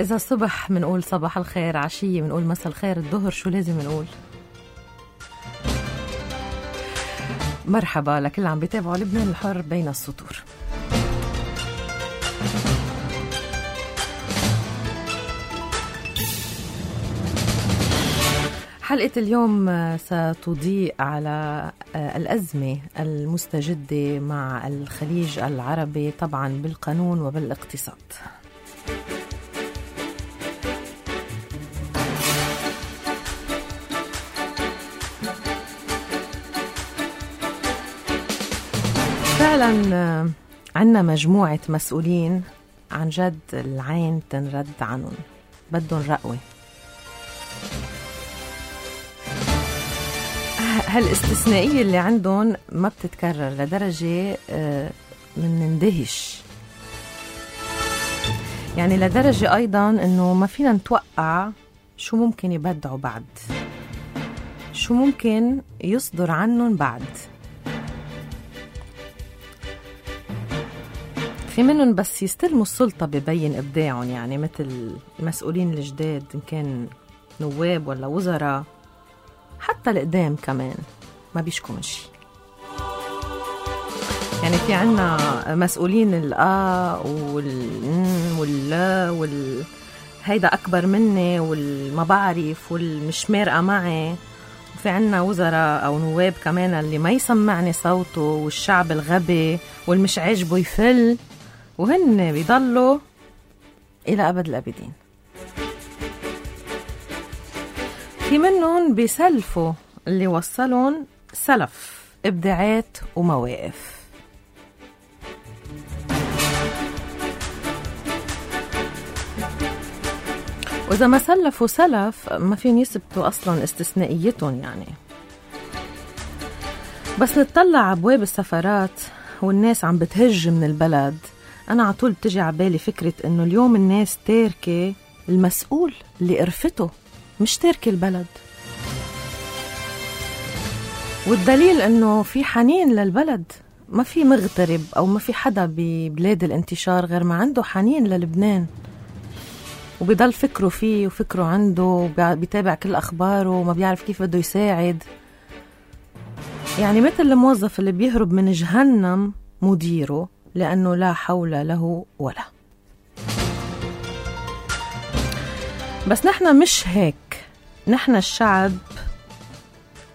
إذا الصبح منقول صباح الخير، عشية منقول مساء الخير، الظهر شو لازم نقول؟ مرحبا لكل عم بيتابعوا لبنان الحر بين السطور. حلقة اليوم ستضيء على الأزمة المستجدة مع الخليج العربي طبعا بالقانون وبالاقتصاد. فعلا عنا مجموعة مسؤولين عن جد العين تنرد عنهم، بدهم رقوة. هالاستثنائية اللي عندهم ما بتتكرر لدرجة من نندهش، يعني لدرجة أيضا أنه ما فينا نتوقع شو ممكن يبدعوا بعد، شو ممكن يصدر عنهم بعد. في منهم بس يستلموا السلطة ببين إبداعهم، يعني مثل المسؤولين الجداد إن كان نواب ولا وزراء، حتى القدام كمان ما بيشكوا من شي. يعني في عنا مسؤولين واللا هيدا أكبر مني والما بعرف والمش مارقة معي، وفي عنا وزراء أو نواب كمان اللي ما يسمعني صوته والشعب الغبي والمش عاجبه يفل، وهن بيضلوا إلى أبد الأبدين. في منهم بيسلفوا اللي وصلون سلف إبداعات ومواقف. وإذا ما سلفوا سلف ما فين يثبتوا أصلا استثنائيتهم. يعني بس نتطلع عبواب السفارات والناس عم بتهج من البلد، أنا عطول بتجي عبالي فكرة إنه اليوم الناس تاركة المسؤول اللي قرفته، مش تاركة البلد. والدليل إنه في حنين للبلد، ما في مغترب أو ما في حدا ببلاد الانتشار غير ما عنده حنين للبنان، وبيضل فكره فيه وفكره عنده، بيتابع كل أخباره وما بيعرف كيف بده يساعد. يعني مثل الموظف اللي بيهرب من جهنم مديره لأنه لا حول له ولا. بس نحن مش هيك، نحن الشعب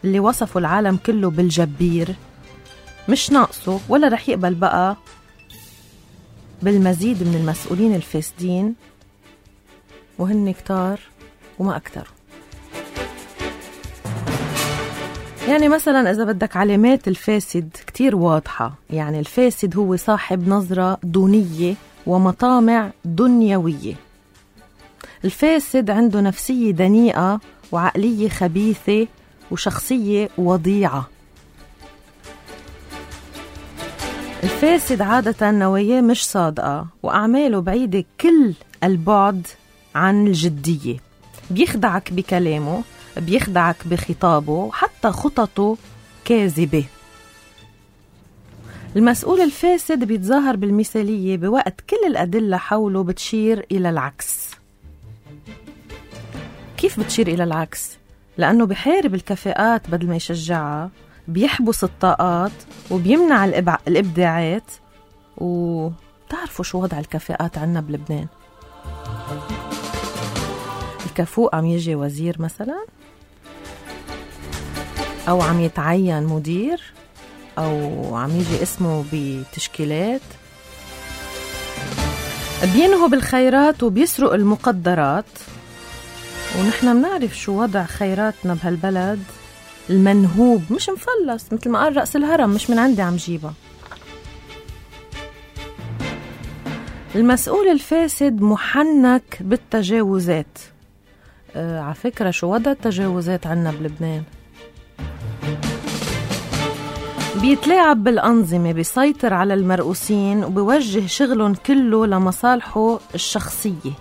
اللي وصفوا العالم كله بالجبير مش ناقصه ولا رح يقبل بقى بالمزيد من المسؤولين الفاسدين، وهن كتار وما أكتر. يعني مثلا إذا بدك علامات الفاسد كتير واضحة، يعني الفاسد هو صاحب نظرة دونية ومطامع دنيوية. الفاسد عنده نفسية دنيئة وعقلية خبيثة وشخصية وضيعة. الفاسد عادة نواياه مش صادقة وأعماله بعيدة كل البعد عن الجدية، بيخدعك بكلامه، بيخدعك بخطابه، وحتى خططه كاذبة. المسؤول الفاسد بيتظاهر بالمثالية بوقت كل الأدلة حوله بتشير إلى العكس. كيف بتشير إلى العكس؟ لأنه بيحارب الكفاءات بدل ما يشجعها، بيحبس الطاقات وبيمنع الإبداعات. وتعرفوا شو وضع الكفاءات عنا بلبنان؟ الكفوء عم يجي وزير مثلا، أو عم يتعين مدير، أو عم يجي اسمه بتشكيلات، بينهوا بالخيرات وبيسرق المقدرات. ونحن منعرف شو وضع خيراتنا بهالبلد، المنهوب مش مفلس، مثل ما قال رأس الهرم، مش من عندي عم جيبها. المسؤول الفاسد محنك بالتجاوزات. على فكرة شو وضع التجاوزات عنا بلبنان؟ بيتلاعب بالأنظمة، بيسيطر على المرؤوسين وبيوجه شغلهم كله لمصالحه الشخصية.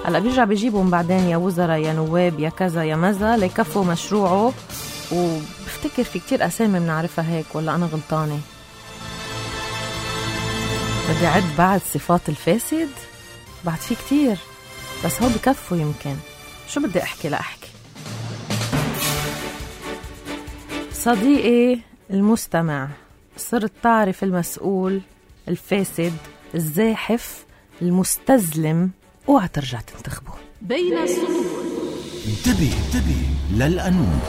هلا بيرجع بيجيبهم بعدين يا وزراء يا نواب يا كذا يا مزا ليكفوا مشروعه. وبفتكر في كتير أسامي بنعرفها هيك، ولا أنا غلطانة؟ بدي أعد بعد صفات الفاسد. بعد في كتير، بس هو بكفوا يمكن. شو بدي أحكي لأحكي. صديقي المستمع، صرت تعرف المسؤول، الفاسد، الزاحف، المستزلم، اوعى ترجع تنتخبه. بين السطور. انتبه للقانون.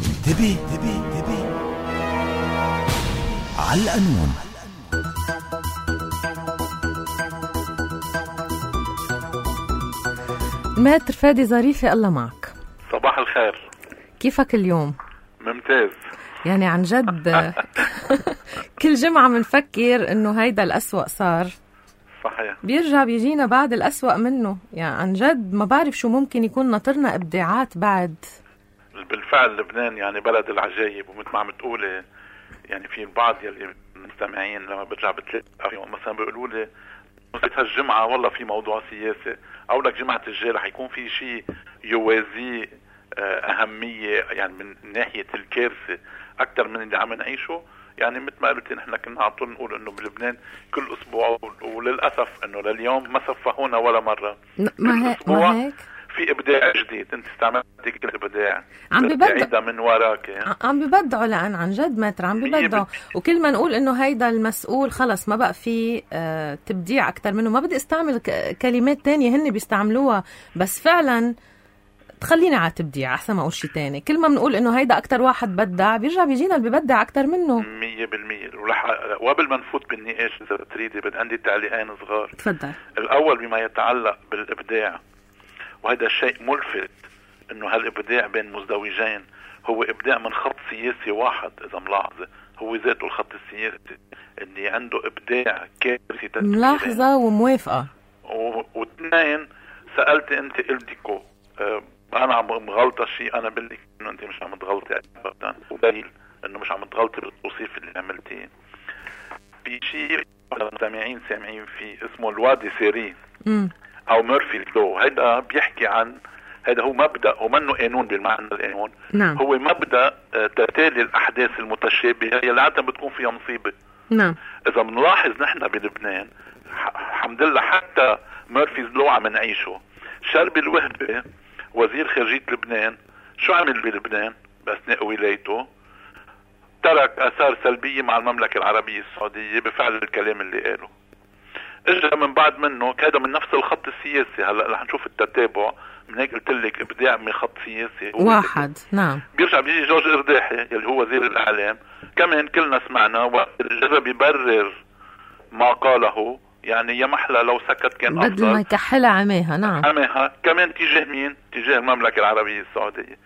انتبه على القانون. ماتر فادي ظريفي، الله معك. صباح الخير. كيفك اليوم؟ ممتاز. يعني عن جد كل جمعة منفكر انه هيدا الأسوأ صار، صحيح، بيرجع بيجينا بعد الأسوأ منه. يعني عن جد ما بعرف شو ممكن يكون ناطرنا إبداعات بعد. بالفعل لبنان يعني بلد العجايب، ومثل ما عم تقولي يعني في البعض يلي مستمعين لما برجع بتلاقي مثلا بيقولوا لي هالجمعة والله في موضوع سياسي، أو لك جمعة الجاي رح يكون في شيء يوازي أهمية، يعني من ناحية الكارثة أكثر من اللي عم نعيشه. يعني مثل ما قلت نحن كنا على طول نقول إنه بلبنان كل أسبوع، وللأسف إنه لليوم ما صفهونا ولا مرة. ما هيك في إبداع جديد، أنت استعملت كل إبداع عم ببدع من وراك، عم ببدعوا، لأن عن جد ماتر عم ببدعوا. وكل ما نقول إنه هيدا المسؤول خلص ما بقى في تبديع أكتر منه، ما بدي استعمل كلمات تانية هن بيستعملوها، بس فعلا تخلينا على تبديع أحسن ما أقول شي تاني. كل ما بنقول إنه هيدا أكتر واحد بدع، بيرجع بيجينا اللي ببدع أكتر منه 100%. وقبل ما نفوت بالنقاش إذا بتريدي بدي عندي تعليقين صغار. تفضل. الأول بما يتعلق بالإبداع، وهذا الشيء ملفت إنه هالإبداع بين مزدوجين هو إبداع من خط سياسي واحد. إذا ملاحظة هو ذاته الخط السياسي اللي عنده إبداع كافي. ملاحظة وموافقة. واثنين، سألت أنت قلتكو أنا عم مغلطة شيء، أنا بقول لك إنه أنت مش عم تغلطي أبدا، ودليل إنه مش عم تغلطي بالتوصيف اللي عملتيه. في شيء المستمعين سامعين فيه اسمه الوادي سيري أو ميرفي لو. هذا بيحكي عن، هذا هو مبدأ، هو منه قانون بالمعنى القانون. نعم. هو مبدأ تتالي الأحداث المتشابهة اللي عادة بتكون فيها مصيبة. نعم. إذا بنلاحظ نحن بلبنان الحمد لله حتى ميرفي لو عم نعيشه. شربي الوهبة وزير خارجية لبنان شو عمل بلبنان بأثناء ولايته؟ ترك آثار سلبية مع المملكة العربية السعودية بفعل الكلام اللي قاله. اجى من بعد منه هذا من نفس الخط السياسي. هلا رح نشوف التتابع. من هيك قلت لك ابداع من خط سياسي واحد. نعم. بيرجع بيجي جورج إرداحي اللي هو وزير الاعلام، كمان كلنا سمعنا وجرب يبرر ما قاله. يعني يا محلى لو سكت كان افضل، بدل ما يكحلها عماها. نعم، عماها كمان تجاه مين؟ تجاه المملكة العربية السعودية.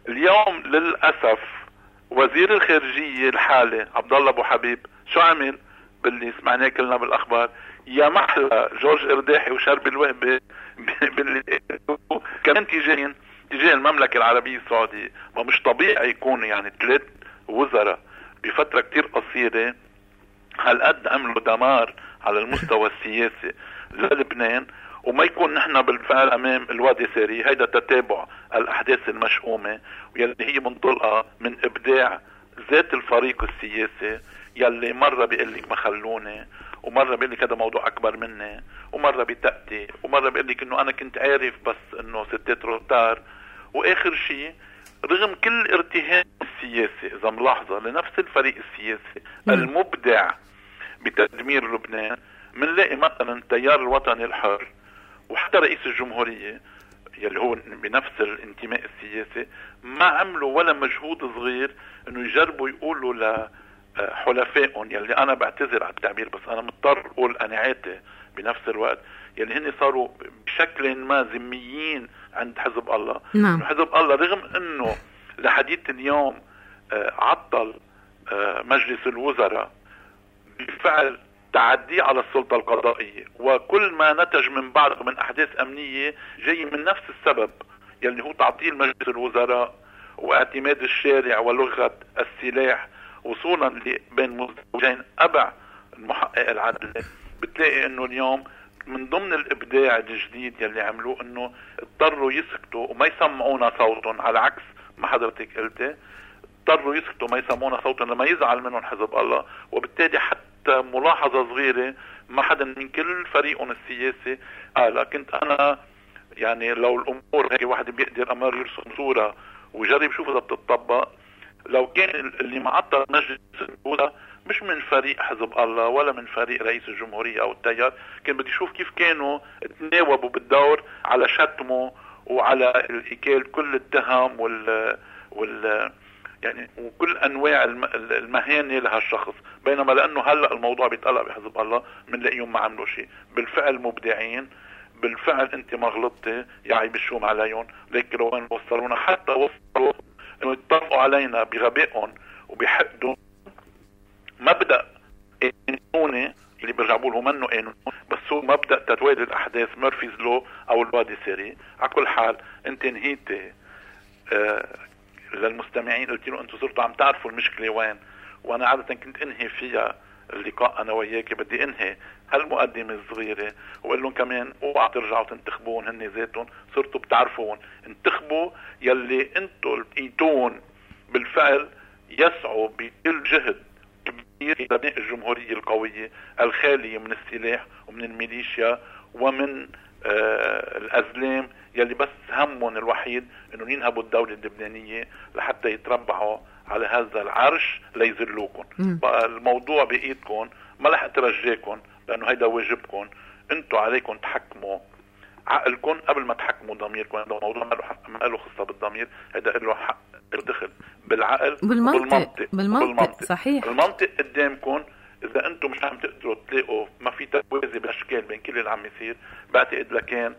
اليوم للأسف وزير الخارجية الحالي عبد الله ابو حبيب شو عمل باللي سمعناه كلنا بالاخبار؟ يا محلى جورج إرداحي وشرب الوهبة كمان تجاه المملكة العربية السعودية. ما مش طبيعي يكون يعني 3 وزراء بفترة كتير قصيرة هالقد عملوا دمار على المستوى السياسي للبنان، وما يكون نحن بالفعل امام الوادي ساري. هيدا تتابع الاحداث المشؤومة واللي هي منطلقة من ابداع ذات الفريق السياسي، يلي مرة بيقول لك ما خلوني، ومرة بيقول لك هذا موضوع اكبر مني، ومرة بتأتي، ومرة بيقول لك انه انا كنت عارف بس انه ستات روتار. واخر شيء رغم كل ارتهان السياسي اذا ملاحظة لنفس الفريق السياسي المبدع بتدمير لبنان، منلاقي مثلا التيار الوطني الحر وحتى رئيس الجمهورية يلي هو بنفس الانتماء السياسي ما عملوا ولا مجهود صغير انه يجربوا يقولوا لحلفائهم، يلي انا بعتذر على التعبير بس انا مضطر اقول قناعاتي بنفس الوقت، يلي هن صاروا بشكل ما ذميين عند حزب الله. نعم. حزب الله رغم انه لحديث اليوم عطل مجلس الوزراء بفعل تعدي على السلطة القضائية، وكل ما نتج من بعض من أحداث أمنية جاي من نفس السبب يلي هو تعطيل مجلس الوزراء واعتماد الشارع ولغة السلاح وصولا بين مزدوجين أبع المحقق العدل. بتلاقي أنه اليوم من ضمن الإبداع الجديد يلي عملوه أنه اضطروا يسكتوا وما يسمعونا صوتهم، على عكس ما حضرتك قلتي اضطروا يسكتوا ما يسمعونا صوتهم لما يزعل منهم حزب الله. وبالتالي حتى ملاحظة صغيرة ما حدا من كل فريقهم السياسي كنت انا يعني لو الامور هيك واحد بيقدر امر يرسم صورة ويجرب يشوف اذا بتطبق. لو كان اللي معطل مجلس الدولة مش من فريق حزب الله ولا من فريق رئيس الجمهورية او التيار، كان بدي اشوف كيف كانوا تناوبوا بالدور على شتمه وعلى الإكال كل التهم يعني وكل انواع المهانة لهالشخص. بينما لانه هلأ الموضوع بيتقلق بحزب الله بنلاقيهم ما عملوا شيء. بالفعل مبدعين، بالفعل انت ما غلطتي يا عيب الشوم عليهم، لكن وين وصلونا؟ حتى وصلوا انه يتطرقوا علينا بغبائهم وبحقدهم. مبدأ قانوني اللي بيرجعوا له منه قانون، بس هو مبدأ تتوالي الاحداث، ميرفيز لو او الوادي سيري. على كل حال انت نهيتي للمستمعين، قلت له انتم صرتوا عم تعرفوا المشكلة وين، وانا عادة كنت انهي فيها اللقاء انا وياك. بدي انهي هالمقدمة الصغيرة وقال لهم كمان اوعى ترجعوا تنتخبون هن ذاتهم، صرتوا بتعرفون. انتخبوا يلي انتم لقيتون بالفعل يسعوا بكل جهد كبير الى بناء الجمهورية القوية الخالية من السلاح ومن الميليشيا ومن الأزلام يلي بس همهم الوحيد انه ينهبوا الدولة اللبنانية لحتى يتربعوا على هذا العرش ليذلوكم. بقى الموضوع بإيدكم، ما رح اترجاكم لانه هيدا واجبكم. انتوا عليكم تحكموا عقلكم قبل ما تحكموا ضميركم. هذا موضوع ما له خصة بالضمير، هيدا له حق دخل بالعقل بالمنطق. صحيح، المنطق قدامكم. اذا انتم مش عم تقدروا تلاقوا، ما في توازي بالاشكال بين كل اللي عم يصير، بعتقد لكان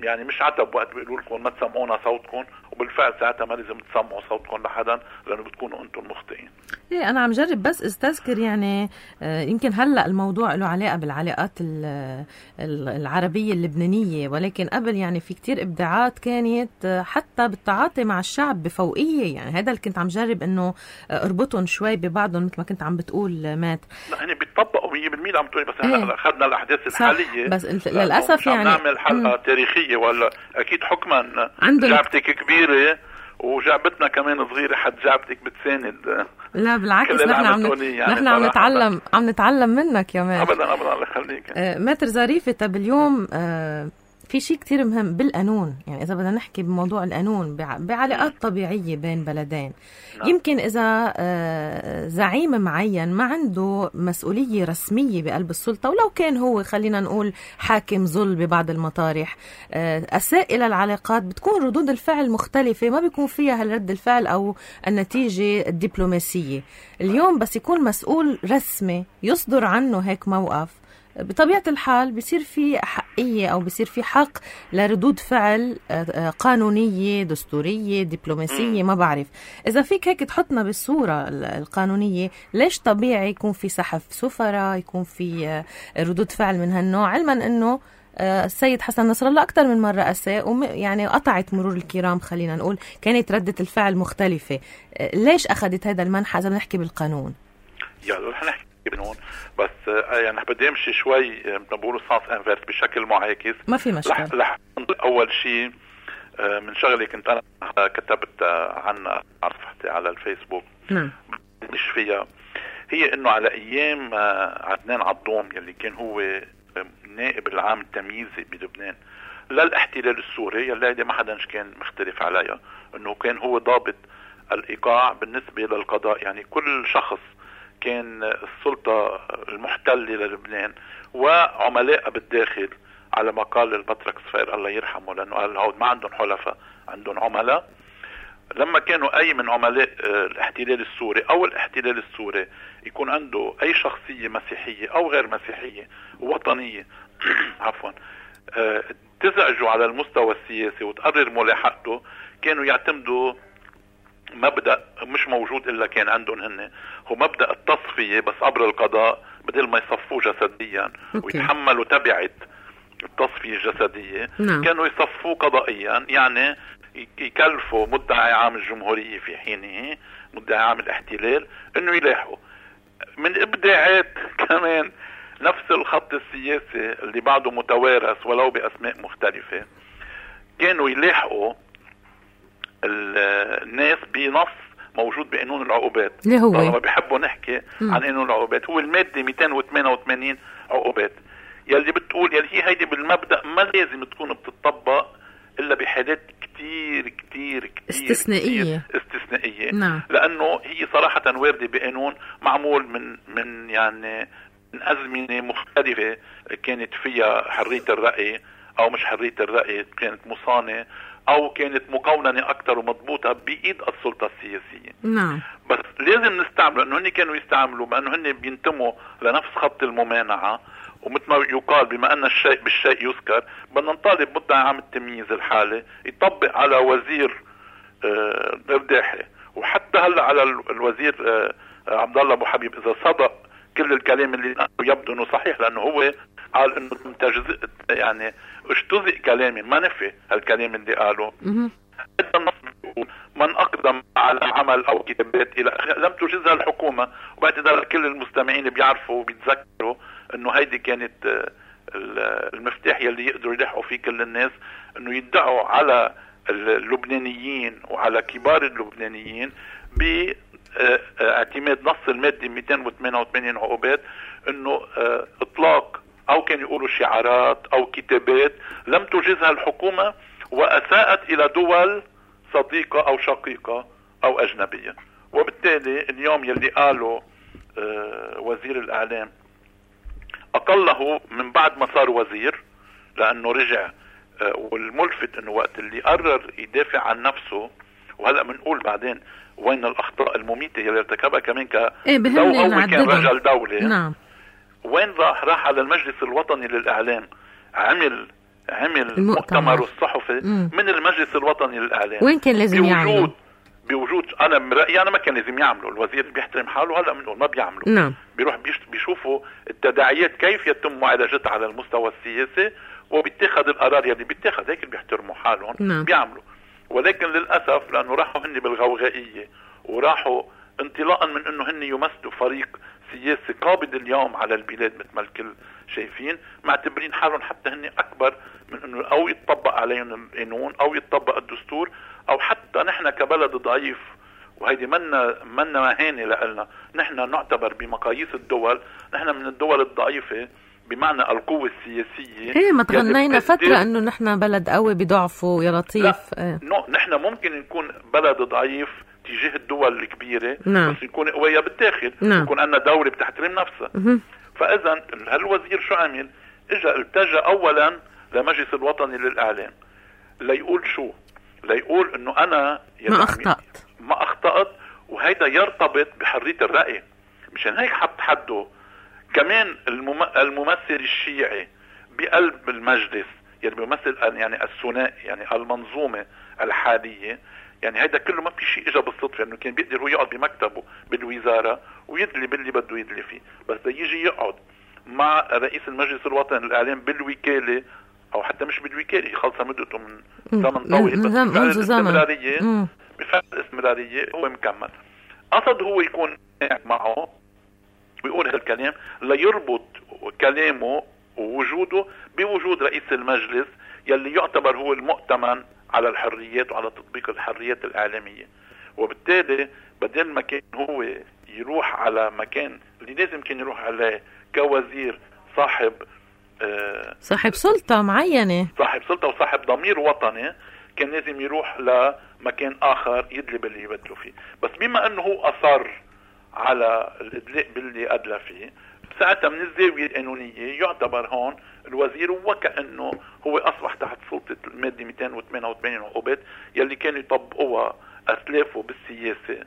يعني مش عتب وقت بيقولوا لكم ما تسمعونا صوتكم، وبالفعل ساعتها ما لازم تسمعوا صوتكم لحدا لانه بتكونوا انتم المخطئين. ايه انا عم جرب بس استذكر يعني يمكن هلا الموضوع له علاقه بالعلاقات العربيه اللبنانيه، ولكن قبل يعني في كتير ابداعات كانت حتى بالتعاطي مع الشعب بفوقيه. يعني هذا اللي كنت عم جرب انه اربطهم شوي ببعضهم مثل ما كنت عم بتقول مات. لا هني بيتطبقوا 100% عم تقولي، بس احنا اخذنا الاحداث الحاليه بس للاسف يعني نعمل حلقه تاريخية ولا اكيد حكما جعبتك كبيرة وجعبتنا كمان صغيرة، حد جعبتك بتساند. لا بالعكس، نحن عم نتعلم منك يا مات. ابدا الله يخليك. ماتر ظريفة. طب اليوم في شيء كتير مهم بالقانون، يعني إذا بدنا نحكي بموضوع القانون بعلاقات طبيعية بين بلدين. يمكن إذا زعيم معين ما عنده مسؤولية رسمية بقلب السلطة، ولو كان هو خلينا نقول حاكم ظل ببعض المطارح، أساء إلى العلاقات، بتكون ردود الفعل مختلفة، ما بيكون فيها هالرد الفعل أو النتيجة الدبلوماسية. اليوم بس يكون مسؤول رسمي يصدر عنه هيك موقف، بطبيعة الحال بيصير في حقية أو بيصير في حق لردود فعل قانونية دستورية دبلوماسية. ما بعرف إذا فيك هيك تحطنا بالصورة القانونية، ليش طبيعي يكون في سحف سفراء، يكون في ردود فعل من هالنوع، علما أنه السيد حسن نصر الله أكثر من مرة أساء يعني قطعت مرور الكرام، خلينا نقول كانت ردة الفعل مختلفة. ليش أخذت هذا المنحى إذا بنحكي بالقانون؟ يلا رح نحكي بنون، بس يعني بدي امشي شوي بنقولوا سانس انفيرس بشكل معاكس. ما في مشكلة. اول شيء من شغلي كنت انا كتبت عنها على صفحتي على الفيسبوك، مش فيها، هي انه على ايام عدنان عضوم يلي كان هو نائب العام التمييزي بلبنان للاحتلال السوري، يلي ما حدا كان مختلف عليها، انه كان هو ضابط الايقاع بالنسبة للقضاء. يعني كل شخص كان السلطة المحتلة للبنان وعملاء بالداخل، على ما قال البطرك صفير الله يرحمه، لأنه قال هود ما عندهم حلفاء، عندهم عملاء. لما كانوا أي من عملاء الاحتلال السوري أو الاحتلال السوري يكون عنده أي شخصية مسيحية أو غير مسيحية وطنية عفوا تزعجوا على المستوى السياسي وتقرر ملاحقته، كانوا يعتمدوا مبدأ مش موجود إلا كان عندهم هن، هو مبدأ التصفية بس عبر القضاء، بدل ما يصفوه جسديا ويتحملوا تبعة التصفية الجسدية. كانوا يصفوه قضائيا، يعني يكلفوا مدعي عام الجمهورية في حينه مدعي عام الاحتلال انه يلاحقوا. من ابداعات كمان نفس الخط السياسي اللي بعده متوارث ولو بأسماء مختلفة، كانوا يلاحقوا الناس بنص موجود بقانون العقوبات. اللي هو طالما بيحبوا نحكي عن قانون العقوبات، هو المادة 288 عقوبات، يلي بتقول يلي هي هيدي بالمبدأ ما لازم تكون بتطبق إلا بحالات كتير كتير كتير استثنائية. نعم. لأنه هي صراحة واردة بقانون معمول من يعني من أزمنة مختلفة كانت فيها حرية الرأي أو مش حرية الرأي، كانت مصانة أو كانت مقوننة أكتر ومضبوطة بإيد السلطة السياسية. نعم. بس لازم نستعمل أنه هن كانوا يستعملوا بأنه هن بينتموا لنفس خط الممانعة، ومثل ما يقال بما أن الشيء بالشيء يذكر، بدنا نطالب مدعي عام التمييز الحالي يطبق على وزير الرداحي، وحتى هلا على الوزير عبد الله ابو حبيب، اذا صدق كل الكلام اللي يبدو انه صحيح، لانه هو قال انه يعني اجتزئ كلامي، ما نفي هالكلام اللي قاله. هذا النص بيقول من اقدم على عمل او كتابات الى لم تجزها الحكومه، وبعتذر كل المستمعين بيعرفوا وبيتذكروا انه هيدي كانت المفتاح يلي يقدروا يلحقوا فيه كل الناس، انه يدعوا على اللبنانيين وعلى كبار اللبنانيين باعتماد نص المادة 288 عقوبات انه اطلاق او كان يقولوا شعارات او كتابات لم تجزها الحكومة واساءت الى دول صديقة او شقيقة او اجنبية. وبالتالي اليوم يلي قالوا وزير الاعلام اقله من بعد ما صار وزير، لانه رجع، والملفت انه وقت اللي قرر يدافع عن نفسه، وهلا بنقول بعدين وين الاخطاء المميته اللي ارتكبها كمان لو هو كان رجل دوله. نعم. وين راح على المجلس الوطني للاعلام، عمل مؤتمر الصحفي من المجلس الوطني للاعلام. وين كان لازم يعمل؟ بوجود انا من رايي انا ما كان لازم يعملوا، الوزير بيحترم حاله، هلا بنقول ما بيعملوا. نعم. بيروح بيشوفوا التداعيات كيف يتم معالجتها على المستوى السياسي، وبيتخذ القرار يلي بيتخذ، هيك بيحترموا حالهم. نعم. بيعملوا. ولكن للاسف لانه راحوا هن بالغوغائيه، وراحوا انطلاقا من انه هن يمثلوا فريق سياسي قابض اليوم على البلاد مثل ما الكل شايفين، معتبرين حالهم حتى هن اكبر من انه او يتطبق عليهم القانون او يتطبق الدستور، او حتى نحن كبلد ضعيف، وهيدي منا مهانه لنا، نحن نعتبر بمقاييس الدول نحن من الدول الضعيفه بمعنى القوة السياسية. ما تغنينا فترة انه نحن بلد قوي بضعفه يا لطيف. نحن ممكن نكون بلد ضعيف تجاه الدول الكبيرة. نعم. بس نكون قوية بالداخل. نعم. يكون عندنا دولة بتحترم نفسها. فاذا هالوزير شو عمل؟ التجأ اولا لمجلس الوطني للاعلام ليقول شو؟ ليقول انه انا ما اخطأت وهيدا يرتبط بحرية الرأي. مشان هيك حط حده. كمان الممثل الشيعي بقلب المجلس يعني بيمثل يعني الثنائي يعني المنظومة الحالية، يعني هيدا كله ما في شيء اجى بالصدفة، انه كان بيقدر هو يقعد بمكتبه بالوزارة ويدلي باللي بده يدلي فيه، بس يجي يقعد مع رئيس المجلس الوطني للإعلام بالوكالة او حتى مش بالوكالة، خلص مدته من زمن طويل، بس بفعل الاستمرارية هو مكمل. قصد هو يكون معه ويقول هالكلام ليربط كلامه ووجوده بوجود رئيس المجلس يلي يعتبر هو المؤتمن على الحريات وعلى تطبيق الحريات الإعلامية. وبالتالي بدل ما كان هو يروح على مكان اللي لازم كان يروح عليه كوزير صاحب سلطة معينة، صاحب سلطة وصاحب ضمير وطني، كان لازم يروح لمكان آخر يدلي باللي يبدلوا فيه. بس بما أنه هو أصر على الإدلاء باللي أدلى فيه، ساعتها من الزاوية القانونية يعتبر هون الوزير وكأنه هو أصبح تحت سلطة المادة 288 عقوبات يلي كانوا يطبقوها أسلافه بالسياسة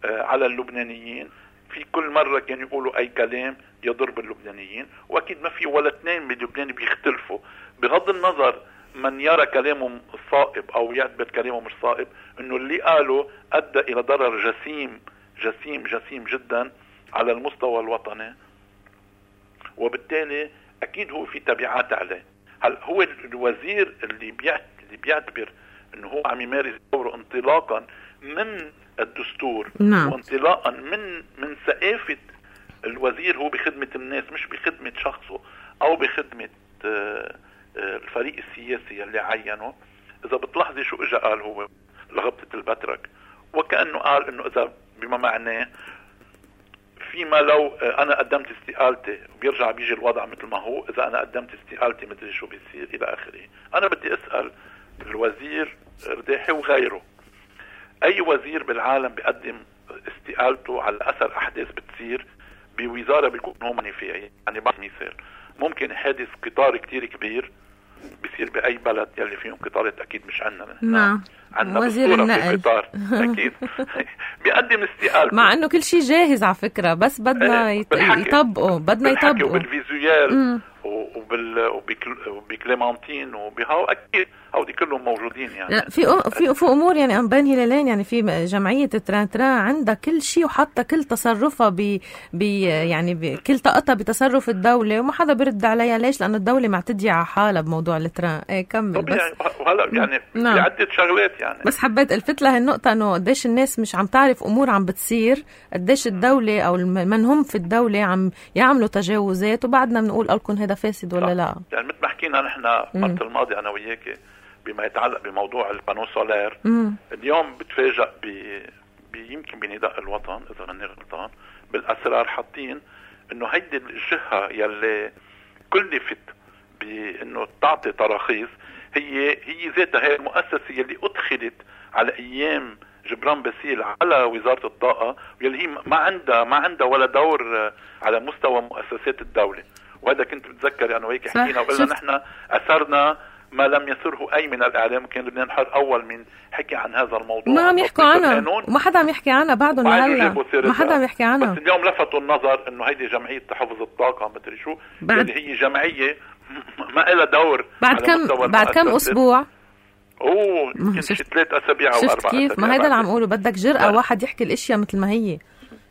على اللبنانيين. في كل مرة كانوا يقولوا أي كلام يضر باللبنانيين، وأكيد ما في ولا اثنين باللبنان بيختلفوا، بغض النظر من يرى كلامه صائب أو يعتبر كلامه مش صائب، إنه اللي قاله أدى إلى ضرر جسيم جسيم جسيم جدا على المستوى الوطني، وبالتالي أكيد هو في تبعات عليه. هل هو الوزير اللي بيعتبر إنه هو عم يمارس دوره انطلاقا من الدستور؟ نعم. وانطلاقا من ثقافة الوزير هو بخدمة الناس مش بخدمة شخصه أو بخدمة الفريق السياسي اللي عينه. إذا بتلاحظي شو إجا قال هو لغبطة البترك، وكأنه قال انه اذا بما معناه فيما لو انا قدمت استقالتي وبيرجع بيجي الوضع مثل ما هو، اذا انا قدمت استقالتي مدري شو بيصير الى اخره. انا بدي اسأل الوزير رداحي وغيره، اي وزير بالعالم بيقدم استقالته على اثر احداث بتصير بوزارة بيكون هو معني فيها؟ يعني بعض مثال ممكن حادث قطار كتير كبير بيصير بأي بلد يلي فيهم قطارات، أكيد مش عنا نعم عنا وزير النقل قطار أكيد بيقدم استقالته، مع انه كل شيء جاهز على فكرة، بس بدنا يطبقوا، بدنا يطبقوا وبالفيزيوال وبكليمانتين وبهاو أكيد هودي كلهم موجودين. يعني لا في امور يعني أنبان هلالين، يعني في جمعية تران عندها كل شيء وحاطه كل تصرفها يعني كل طاقتها بتصرف الدولة، وما حدا برد عليها. ليش؟ لأنه الدولة معتدية على حالها بموضوع التران. كمل بس. وهلا يعني في عدة شغلات يعني، بس حبيت الفت لهالنقطة انه قديش الناس مش عم تعرف امور عم بتصير، قديش الدولة او من هم في الدولة عم يعملوا تجاوزات، وبعدنا بنقول لكم هذا فاسد ولا لا. يعني مثل ما حكينا نحن مرة الماضي انا وياكي بما يتعلق بموضوع البانو سولير، اليوم بتفاجأ يمكن بنداء الوطن اذا ماني غلطان بالاسرار حاطين انه هيدي الجهة يلي كلفت بانه تعطي تراخيص هي ذاتها هي المؤسسة يلي ادخلت على ايام جبران باسيل على وزارة الطاقة، واللي هي ما عندها ولا دور على مستوى مؤسسات الدولة. وهذا كنت بتذكر انا وهيك حكينا وقلنا نحن اثرنا ما لم يسره اي من الاعلام، كان لبنان حر اول من حكي عن هذا الموضوع، ما عم يحكوا عنها وما حدا عم يحكي عنها بعدهم لهلا، ما حدا عم يحكي عنها. بس اليوم لفتوا النظر انه هيدي جمعية تحفظ الطاقة مدري شو، اللي هي جمعية ما لها دور بعد كم اسبوع يمكن 3 أسابيع او 4 أسابيع. كيف؟ ما هيدا اللي عم اقوله، بدك جرأة واحد يحكي الاشياء مثل ما هي.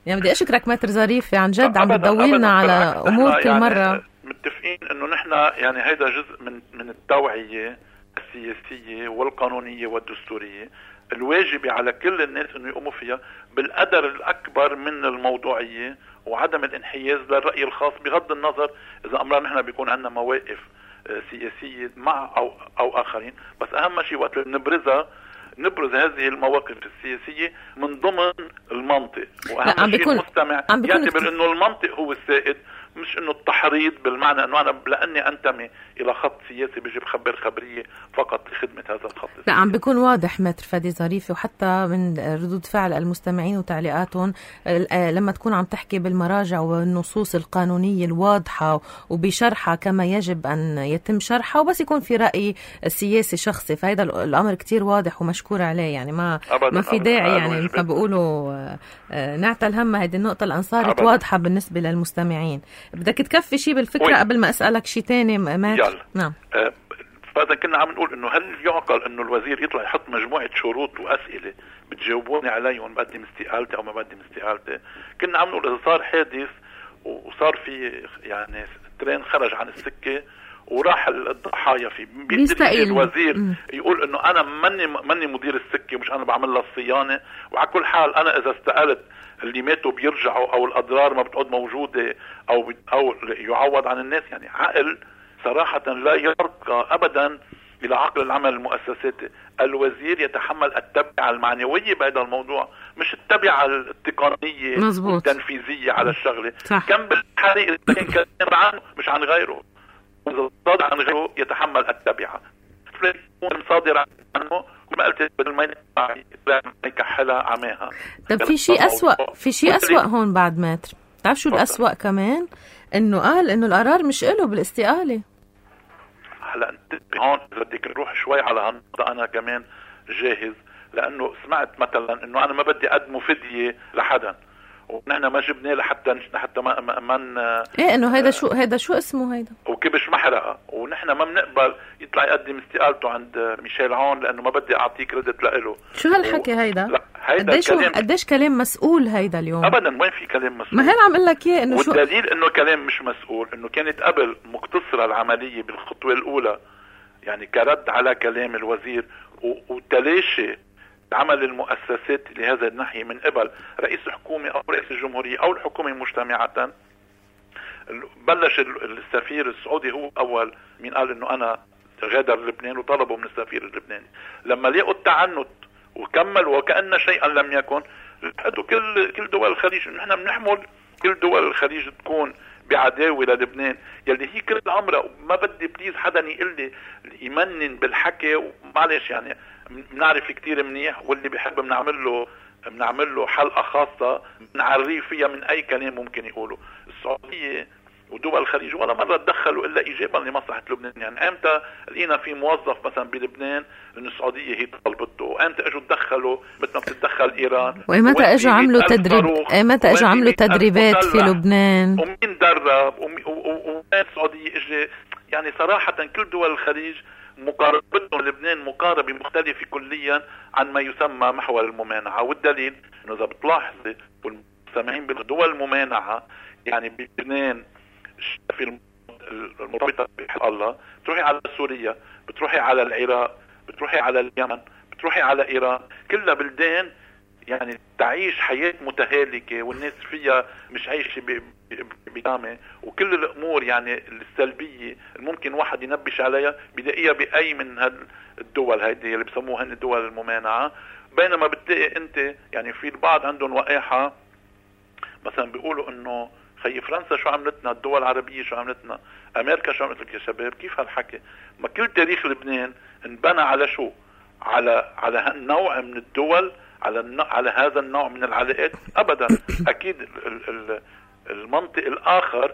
يعني بدي اشكرك ماتر ظريف عن جد، عم بتدولنا على امور كل يعني مرة. متفقين انه نحن يعني هيدا جزء من التوعية السياسية والقانونية والدستورية الواجبة على كل الناس انه يقوموا فيها بالقدر الاكبر من الموضوعية وعدم الانحياز للرأي الخاص، بغض النظر اذا امرنا نحن بيكون عندنا مواقف سياسية مع او اخرين. بس اهم شيء وقت نبرز هذه المواقف السياسية من ضمن المنطق، واهم شيء المستمع يعتبر انه المنطق هو السائد، مش انه التحريض بالمعنى انه انا لاني انتمي الى خط سياسي بيجي بخبر خبرية فقط لخدمة هذا الخط السياسي. لا، عم بيكون واضح ماتر فادي ظريفي، وحتى من ردود فعل المستمعين وتعليقاتهم لما تكون عم تحكي بالمراجع والنصوص القانونية الواضحة وبشرحها كما يجب ان يتم شرحها، وبس يكون في رأي سياسي شخصي، فهذا الامر كتير واضح ومشكور عليه. يعني ما في داعي يعني مثل ما بيقولوا نعتل هم هذه النقطة اللي صارت واضحة بالنسبة للمستمعين. بدك تكفي شيء بالفكرة قبل ما أسألك شيء تاني مات؟ نعم. فإذا كنا عم نقول إنه هل يعقل إنه الوزير يطلع يحط مجموعة شروط وأسئلة بتجاوبوني عليهم بقدم استقالتي أو ما بقدم استقالتي؟ كنا عم نقول إذا صار حادث وصار في يعني ترين خرج عن السكة وراح الضحايا فيه، بيقدر الوزير يقول إنه أنا مني مدير السكة، مش أنا بعمل لها الصيانة، وعلى كل حال أنا إذا استقلت اللي ماتوا بيرجعوا او الاضرار ما بتعود موجوده او يعوض عن الناس. يعني عقل صراحه لا يرقى ابدا الى عقل العمل المؤسساتي. الوزير يتحمل التبعه المعنويه بهذا الموضوع، مش التبعه التقنيه والتنفيذيه على الشغله. كم بالحريق كان عنه مش عن غيره، اذا صادر عن غيره يتحمل التبعه، صادر عنه ما قلت بدل ما يكحلها عماها. طب في شيء أسوأ هون بعد ماتر. تعرف شو الأسوأ كمان؟ إنه قال إنه القرار مش إله بالاستقالة. هلا انت هون بدك نروح شوي على هالنقطة، أنا كمان جاهز، لأنه سمعت مثلا إنه أنا ما بدي أقدم فدية لحدا، ونحن ما جبناه لحتى ما ايه انه هيدا شو اسمه هيدا وكبش محرقه، ونحن ما بنقبل يطلع يقدم استقالته عند ميشيل عون لانه ما بدي اعطيه كريدت لإله. شو هالحكي هيدا؟ لا هيدا قديش كلام مسؤول هيدا اليوم. ابدا وين في كلام مسؤول؟ ما هي عم اقول لك اياه انه والدليل انه كلام مش مسؤول انه كانت قبل مقتصره العمليه بالخطوه الاولى، يعني كرد على كلام الوزير وتلاشي عمل المؤسسات لهذا الناحية من قبل رئيس الحكومة أو رئيس الجمهورية أو الحكومة مجتمعة. بلش السفير السعودي هو أول من قال إنه أنا غادر لبنان، وطلبوا من السفير اللبناني لما لقوا التعنت وكمل وكأن شيئا لم يكن، حدوا كل دول الخليج. نحن بنحمل كل دول الخليج تكون بعداوة للبنان يلي هي كل عمرها. ما بدي بليز حدا يقول لي يمنن بالحكي، ومعلش يعني بنعرف كتير منيح، واللي بيحب بنعمل له حلقة خاصة بنعريه فيها من أي كلام ممكن يقوله. السعودية ودول الخليج ولا مرة تدخلوا إلا إيجابا لمصلحة لبنان. يعني أمتى لقينا في موظف مثلا بلبنان إن السعودية هي طلبته؟ وأمتى أجوا تدخلوا مثل ما بتتدخل إيران؟ وإمتى أجوا عملوا تدريبات في لبنان؟ ومين درب؟ ومين السعودية إجي؟ يعني صراحة كل دول الخليج مقاربتهم لبنان مقاربة مختلفة كليا عن ما يسمى محور الممانعة. والدليل إنه إذا بتلاحظي والمستمعين بدول الممانعة يعني بلبنان في المرتبطة بحق الله، بتروحي على سوريا، بتروحي على العراق، بتروحي على اليمن، بتروحي على إيران، كلها بلدان يعني تعيش حياة متهالكة والناس فيها مش عايشة بكامة، وكل الأمور يعني السلبية الممكن واحد ينبش عليها بيلاقيها بأي من الدول هيدي اللي بسموها هن الدول الممانعة. بينما بتلاقي انت يعني في البعض عندهم وقاحة مثلا بيقولوا انه خي فرنسا شو عملتنا، الدول العربية شو عملتنا، امريكا شو عملتك يا شباب. كيف هالحكي؟ ما كل تاريخ لبنان انبنى على شو؟ على هالنوع من الدول، على هذا النوع من العلاقات. ابدا. اكيد المنطق الاخر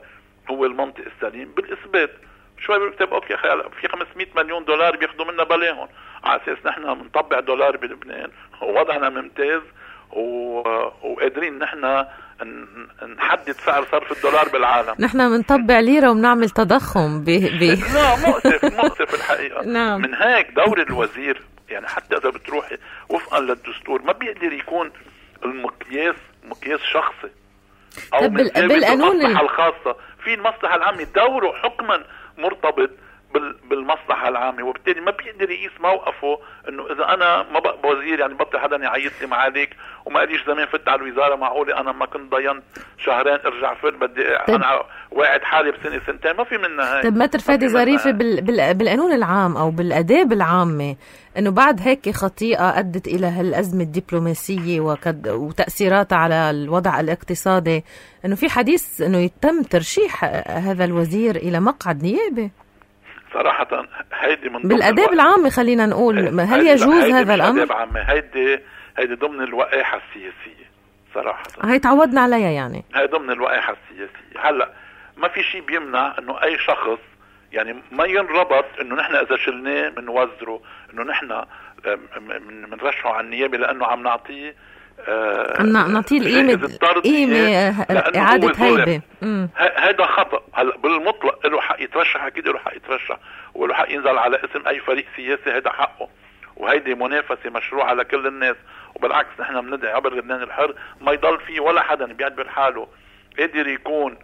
هو المنطق السليم بالاثبات. شوي بيكتب اوكي في 500 مليون دولار بياخدوا منا بلاهم على اساس نحن بنطبع دولار بلبنان ووضعنا ممتاز وقادرين نحن نحدد سعر صرف الدولار بالعالم. نحن بنطبع ليرة وبنعمل تضخم لا مؤسف الحقيقة. نعم. من هيك دور الوزير يعني حتى إذا بتروحي وفقا للدستور ما بيقدر يكون مقياس شخصي أو بالقانون المصلحة الخاصة. في المصلحة العامة دوره حكما مرتبط بالمصلحة العامة، وبالتالي ما بيقدر يقيس موقفه انه اذا انا ما بقى وزير يعني بطل حدا يعيط لي معاليك وما قاليش زمان فت على الوزارة، معقولة انا ما كنت ضينت شهرين ارجع فت بدي انا واعد حالي بسنة سنتين؟ ما في منها هيك. طيب ما ترفادي ظريفة بالقانون العام او بالاداب العامة انه بعد هيك خطيئة ادت الى هالازمة الدبلوماسية وتأثيراتها على الوضع الاقتصادي، انه في حديث انه يتم ترشيح هذا الوزير الى مقعد نيابي؟ صراحة هيدي من بالآداب العامة خلينا نقول، هل يجوز هذا الأمر؟ هيدي ضمن الوقاحة السياسية صراحة. هي تعودنا عليها يعني. هي ضمن الوقاحة السياسية. هلا ما في شيء بيمنع انه اي شخص يعني ما ينربط انه نحن اذا شلناه من وزره انه نحن منرشحه على النيابة لانه عم نعطيه قيمة إعادة هيبة. هذا خطأ. هلا بالمطلق له حق يترشح، أكيد له حق يترشح وله حق ينزل على اسم أي فريق سياسي، هذا حقه، وهيدي منافسة مشروعة لكل الناس. وبالعكس نحن بندعي عبر لبنان الحر ما يضل فيه ولا حدا بيعتبر حاله قادر يكون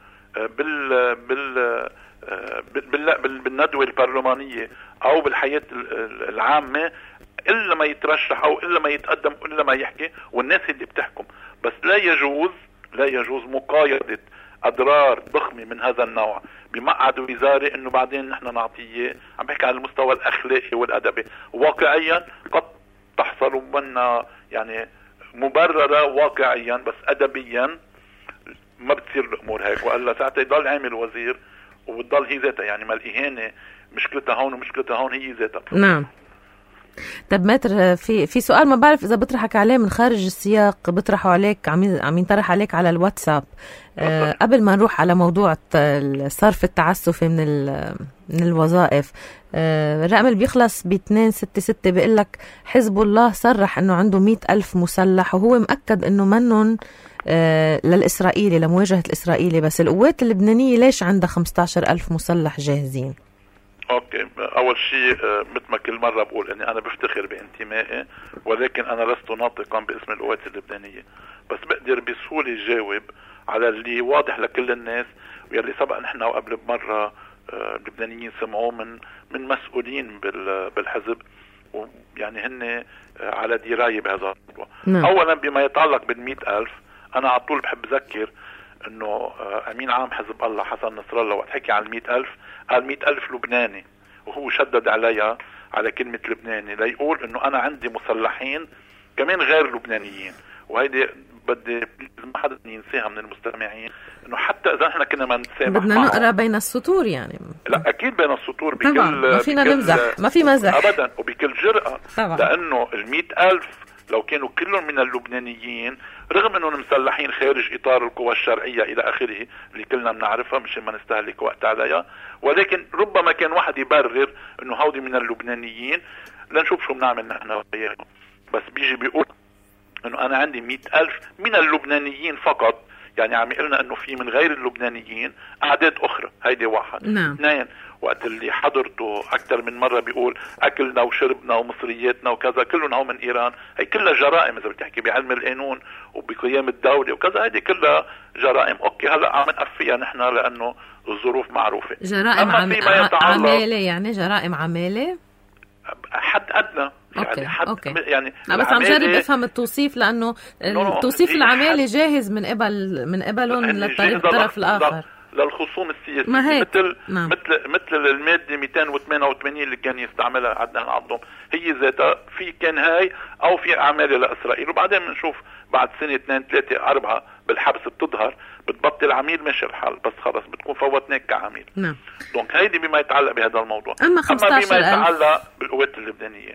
بالندوة البرلمانية أو بالحياة العامة إلا ما يترشح أو إلا ما يتقدم إلا ما يحكي، والناس اللي بتحكم. بس لا يجوز مقايضة أضرار ضخمة من هذا النوع بمقعد وزاري إنه بعدين نحن نعطيه. عم بحكي على المستوى الأخلاقي والأدبي. واقعيا قد تحصل منا يعني مبررة واقعيا، بس أدبيا ما بتصير الأمور هيك، وإلا ساعتها يضل عامل وزير وبتضل هي ذاتها يعني ما الإهانة مشكلتها هون ومشكلتها هون هي ذاتها. نعم. طب ماتر في سؤال ما بعرف إذا بطرحك عليه من خارج السياق، بطرحه عليك عم ينطرح عليك على الواتساب. قبل ما نروح على موضوع الصرف التعسفي من الوظائف، الرقم اللي بيخلص ب266 بيقول لك حزب الله صرح انه عنده 100,000 مسلح وهو مأكد انه منن للإسرائيلي لمواجهة الإسرائيلي، بس القوات اللبنانية ليش عندها 15,000 مسلح جاهزين؟ اوكي، اول شيء مثل ما كل مره بقول اني انا بفتخر بانتمائي، ولكن انا لست ناطقا باسم القوات اللبنانيه، بس بقدر بسهوله جاوب على اللي واضح لكل الناس واللي سبق نحن وقبل بمره اللبنانيين سمعوه من مسؤولين بالحزب، ويعني هن على درايه بهذا الموضوع. اولا بما يتعلق بال100,000، انا على طول بحب اذكر انه امين عام حزب الله حسن نصر الله وقت حكي عن 100,000 قال 100,000 لبناني، وهو شدد عليها على كلمة لبناني ليقول انه انا عندي مسلحين كمان غير لبنانيين، وهيدي بدي ما حدا ينساها من المستمعين، انه حتى اذا احنا كنا ما نتسامح بدنا نقرا بين السطور يعني. لا اكيد بين السطور بكل طبعا ما فينا نمزح، ما في مزح ابدا وبكل جرأة طبعا. لانه 100,000 لو كانوا كلهم من اللبنانيين رغم انهم مسلحين خارج اطار القوى الشرعية الى اخره اللي كلنا بنعرفها مش ما نستهلك وقت عليها، ولكن ربما كان واحد يبرر انه هودي من اللبنانيين لنشوف شو بنعمل نحن وياهم. بس بيجي بيقول انه انا عندي 100,000 من اللبنانيين فقط، يعني عم يقولنا انه في من غير اللبنانيين اعداد اخرى. هيدي واحد. نعم. اثنين، وقت اللي حضرته اكثر من مرة بيقول اكلنا وشربنا ومصرياتنا وكذا كلهم هو من ايران، هي كلها جرائم اذا بتحكي بعلم القانون وبقيام الدولة وكذا، هيدي كلها جرائم. اوكي هلا عم نقفيها نحن لانه الظروف معروفة. جرائم عمالة، يعني جرائم عمالة حد ادنى يعني حد أوكي. يعني لا بس عم جرب افهم التوصيف لانه التوصيف العمالة جاهز من قبلهم للطرف الاخر للخصوم السياسية مثل المادة 288 اللي كان يستعملها عدنان عضهم، هي ذاتها في كان هاي او في عمالة لاسرائيل، وبعدين بنشوف بعد سنة 2 3 4 بالحبس بتظهر بتبطل عميل ماشي الحال، بس خلص بتكون فوتناك كعميل. نعم. دونك هيدي بما يتعلق بهذا الموضوع. اما بما يتعلق بالقوات اللبنانية،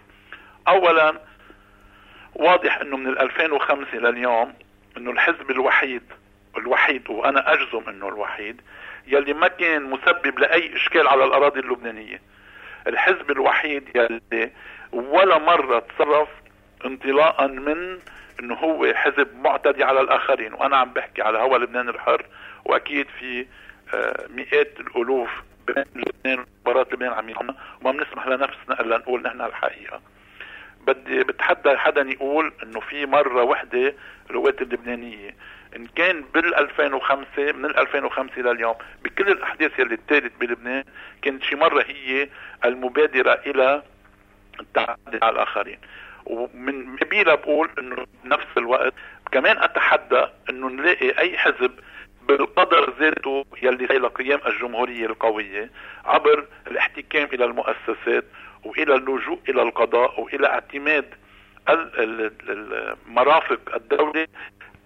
اولا واضح انه من 2005 لليوم انه الحزب الوحيد وانا اجزم انه الوحيد يلي ما كان مسبب لاي اشكال على الاراضي اللبنانية، الحزب الوحيد يلي ولا مرة تصرف انطلاقا من انه هو حزب معتدي على الاخرين، وانا عم بحكي على هوا لبنان الحر، واكيد في مئات الالوف بين لبنان وبرات لبنان عم يعملوا وما بنسمح لنفسنا الا نقول نحن الحقيقة. بدي بتحدى حدا يقول انه في مرة وحدة القوات اللبنانية ان كان بال2005 من 2005 لليوم بكل الاحداث يلي اتالت بلبنان كانت شي مرة هي المبادرة الى التعدي على الاخرين. ومن قبيلة بقول انه بنفس الوقت كمان اتحدى انه نلاقي اي حزب بالقدر ذاته يلي الى قيام الجمهورية القوية عبر الاحتكام الى المؤسسات والى اللجوء الى القضاء والى اعتماد المرافق الدولة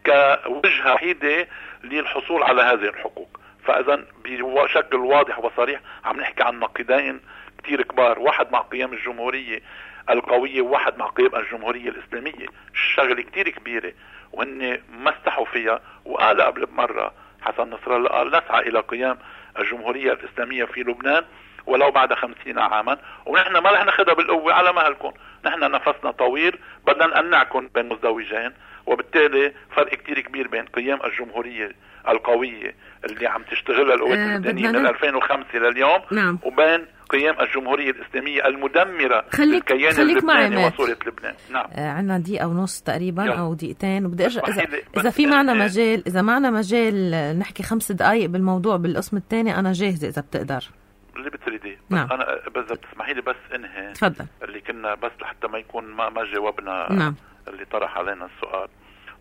كوجهة وحيدة للحصول على هذه الحقوق. فاذا بشكل واضح وصريح عم نحكي عن نقيضين كتير كبار، واحد مع قيام الجمهورية القوية وواحد مع قيام الجمهورية الإسلامية. الشغلة كتير كبيرة وهن ما استحوا فيها، وقال قبل بمرة حسن نصر الله قال نسعى إلى قيام الجمهورية الإسلامية في لبنان ولو بعد 50 عاما، ونحن ما رح ناخذها بالقوة على مهلكم، نحن نفسنا طويل بدنا نقنعكم بين مزدوجين. وبالتالي فرق كتير كبير بين قيام الجمهورية القوية اللي عم تشتغلها القوات اللبنانية من 2005 لليوم، نعم. وبين قيام الجمهورية الإسلامية المدمرة للكيان اللبناني وصورة لبنان. نعم. عنا دقيقة ونص تقريبا أو دقيقتين، وبدي أرجع إذا في معنا مجال، إذا معنا مجال نحكي 5 دقايق بالموضوع بالقسم الثاني أنا جاهزة إذا بتقدر. اللي بتريدي. نعم. أنا بس بتسمحي لي بس إنهي. تفضل. اللي كنا بس لحتى ما يكون ما جاوبنا. نعم. اللي طرح علينا السؤال.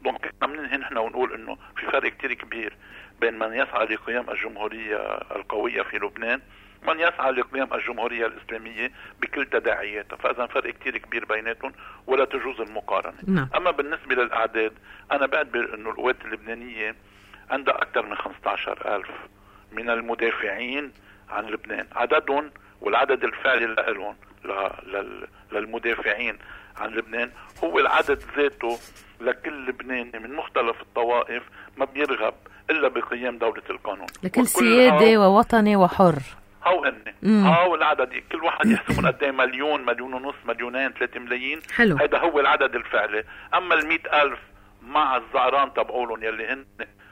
دونك ننهي نحن ونقول إنه في فرق كتير كبير بين من يسعى لقيام الجمهورية القوية في لبنان من يسعى لقيام الجمهورية الإسلامية بكل تداعياتها. فإذا فرق كتير كبير بيناتهم ولا تجوز المقارنة. نعم. أما بالنسبة للأعداد أنا بعتبر إنه القوات اللبنانية عندها أكثر من 15,000 من المدافعين عن لبنان، عددهم والعدد الفعلي لهم للمدافعين عن لبنان هو العدد ذاته لكل لبناني من مختلف الطوائف ما بيرغب إلا بقيام دولة القانون، لكل سيادة ووطني وحر. هو هو العدد كل واحد يحسبون قد ايه، مليون، مليون ونص، مليونين، 3 ملايين. حلو. هذا هو العدد الفعلي. اما 100,000 مع الزعران تبعولهم يلي هن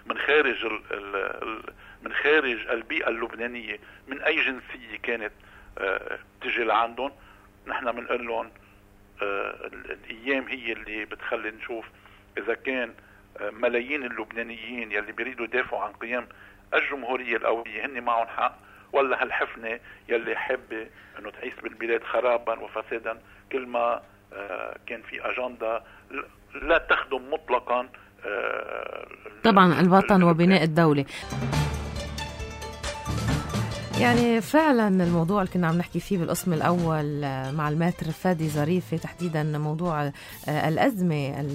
من خارج من خارج البيئة اللبنانية من اي جنسية كانت تجي لعندهم، نحن بنقول لهم الايام هي اللي بتخلي نشوف اذا كان ملايين اللبنانيين يلي بيريدوا يدافعوا عن قيام الجمهورية القوية هن معهم حق، ولا هالحفنة يلي حابة انه تعيش بالبلاد خرابا وفسادا كل ما كان في اجندة لا تخدم مطلقا طبعا الوطن وبناء الدولة. يعني فعلا الموضوع اللي كنا عم نحكي فيه بالقسم الأول مع الماتر فادي ظريفة تحديدا موضوع الأزمة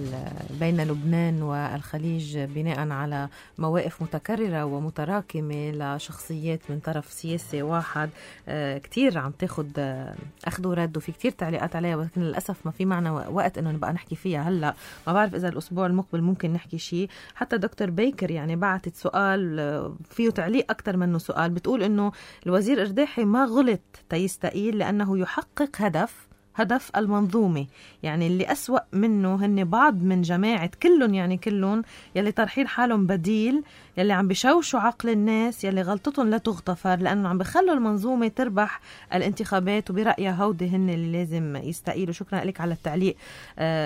بين لبنان والخليج بناء على مواقف متكررة ومتراكمة لشخصيات من طرف سياسي واحد كتير عم تاخد أخذ ورد وفي كتير تعليقات عليها، ولكن للأسف ما في معنا وقت إنه نبقى نحكي فيها هلأ. ما بعرف إذا الأسبوع المقبل ممكن نحكي شيء. حتى دكتور بيكر يعني بعتت سؤال فيه تعليق أكتر منه سؤال، بتقول إنه الوزير إرداحي ما غلط تيستقيل لأنه يحقق هدف المنظومة، يعني اللي أسوأ منه هن بعض من جماعة كلهم يلي طرحين حالهم بديل، يلي عم بشوشوا عقل الناس، يلي غلطتهم لا تغتفر لأنه عم بخلوا المنظومة تربح الانتخابات، وبرأيها هودي هن اللي لازم يستقيلوا. شكرا لك على التعليق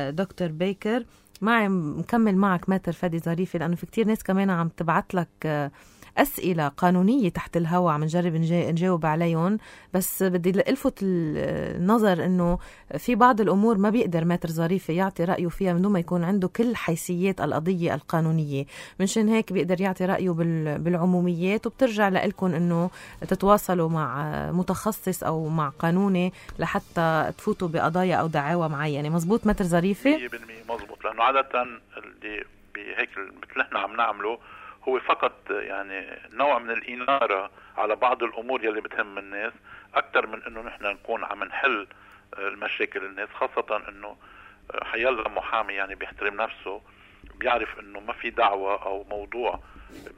دكتور بيكر. معي مكمل معك ماتر فادي ظريفة، لأنه في كتير ناس كمان عم تبعت لك أسئلة قانونية تحت الهواء عم نجرب نجاوب عليهم، بس بدي ألفت النظر إنه في بعض الأمور ما بيقدر ماتر ظريفة يعطي رأيه فيها من دون ما يكون عنده كل حيثيات القضية القانونية، منشان هيك بيقدر يعطي رأيه بالعموميات، وبترجع لإلكم إنه تتواصلوا مع متخصص أو مع قانوني لحتى تفوتوا بقضايا أو دعاوى معينة. مزبوط ماتر ظريفة؟ 100% مزبوط، لأنه عادة اللي بهيك مثل احنا عم نعمله هو فقط يعني نوع من الإنارة على بعض الأمور يلي بتهم الناس أكتر من إنه نحن نكون عم نحل المشاكل الناس، خاصة إنه حيلا محامي يعني بيحترم نفسه، بيعرف إنه ما في دعوة أو موضوع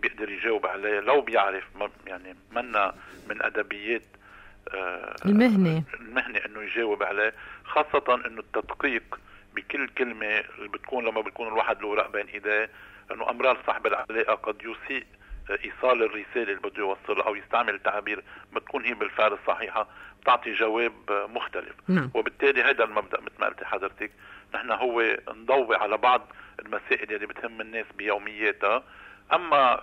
بيقدر يجاوب عليه، لو بيعرف يعني منا من أدبيات المهنة إنه يجاوب عليه، خاصة إنه التدقيق بكل كلمة اللي بتكون لما بيكون الواحد له ورق بين إيديه، أنه أمرار صاحب العلاقة قد يسيء إيصال الرسالة اللي بده يوصلها أو يستعمل تعابير ما تكون هي بالفعل الصحيحة، بتعطي جواب مختلف. وبالتالي هذا المبدأ مثل ما قلت حضرتك، نحن هو نضوي على بعض المسائل اللي بتهم الناس بيومياتها، أما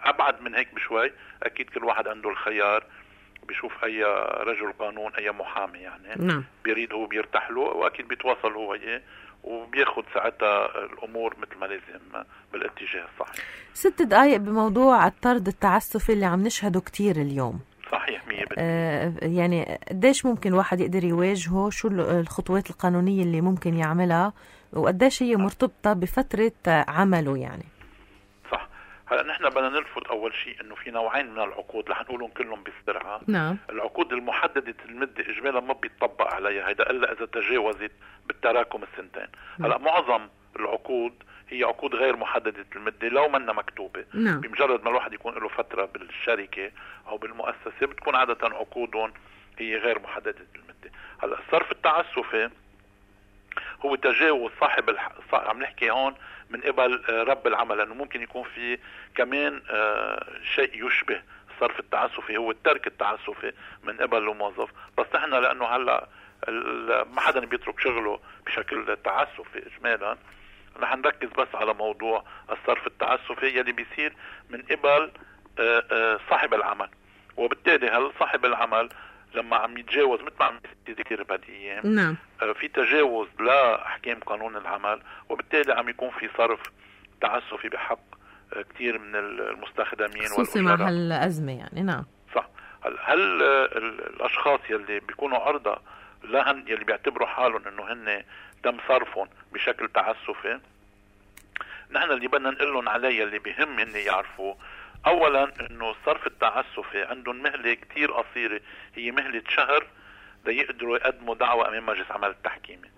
أبعد من هيك بشوي أكيد كل واحد عنده الخيار، بيشوف أي رجل قانون أي محامي يعني بيريد هو بيرتاح له، وأكيد بيتواصل هو وياه وبياخد ساعتها الأمور مثل ما لازم بالاتجاه الصحيح. 6 دقائق بموضوع الطرد التعسفي اللي عم نشهده كتير اليوم. صحيح 100%. يعني قديش ممكن واحد يقدر يواجهه؟ شو الخطوات القانونية اللي ممكن يعملها؟ وقديش هي مرتبطة بفترة عمله يعني؟ صح. هلا نحن بدنا نلفت أول شيء إنه في نوعين من العقود رح نقولهم كلهم بسرعة. العقود المحددة المدة إجمالا ما بيطبق عليها هيدا إلا إذا تجاوزت بالتراكم السنتين. هلا معظم العقود هي عقود غير محددة المدة لو منا مكتوبة. بمجرد ما الواحد يكون له فترة بالشركة أو بالمؤسسة بتكون عادة عقودهم هي غير محددة المدة. هلا الصرف التعسفي هو تجاوز عم نحكي هون من قبل رب العمل، لأنه ممكن يكون في كمان شيء يشبه الصرف التعسفي، هو الترك التعسفي من قبل الموظف، بس نحن لأنه هلا ما حدا بيترك شغله بشكل تعسفي إجمالا، رح نركز بس على موضوع الصرف التعسفي يلي بيصير من قبل صاحب العمل. وبالتالي هل صاحب العمل لما عم يتجاوز مثل ما عم يذكر بهالأيام في تجاوز لأحكام قانون العمل، وبالتالي عم يكون في صرف تعسفي بحق كتير من المستخدمين خصوصي مع هالأزمة يعني. صح. هل الأشخاص يلي بيكونوا عرضة لهن يلي بيعتبروا حالهم انه هن تم صرفهم بشكل تعسفي، نحن اللي بدنا نقول لهم عليه اللي بيهم هن يعرفوا اولا انه الصرف التعسفي عندهم مهلة كتير قصيرة، هي مهلة شهر ليقدروا يقدموا دعوة امام مجلس عمل التحكيمي،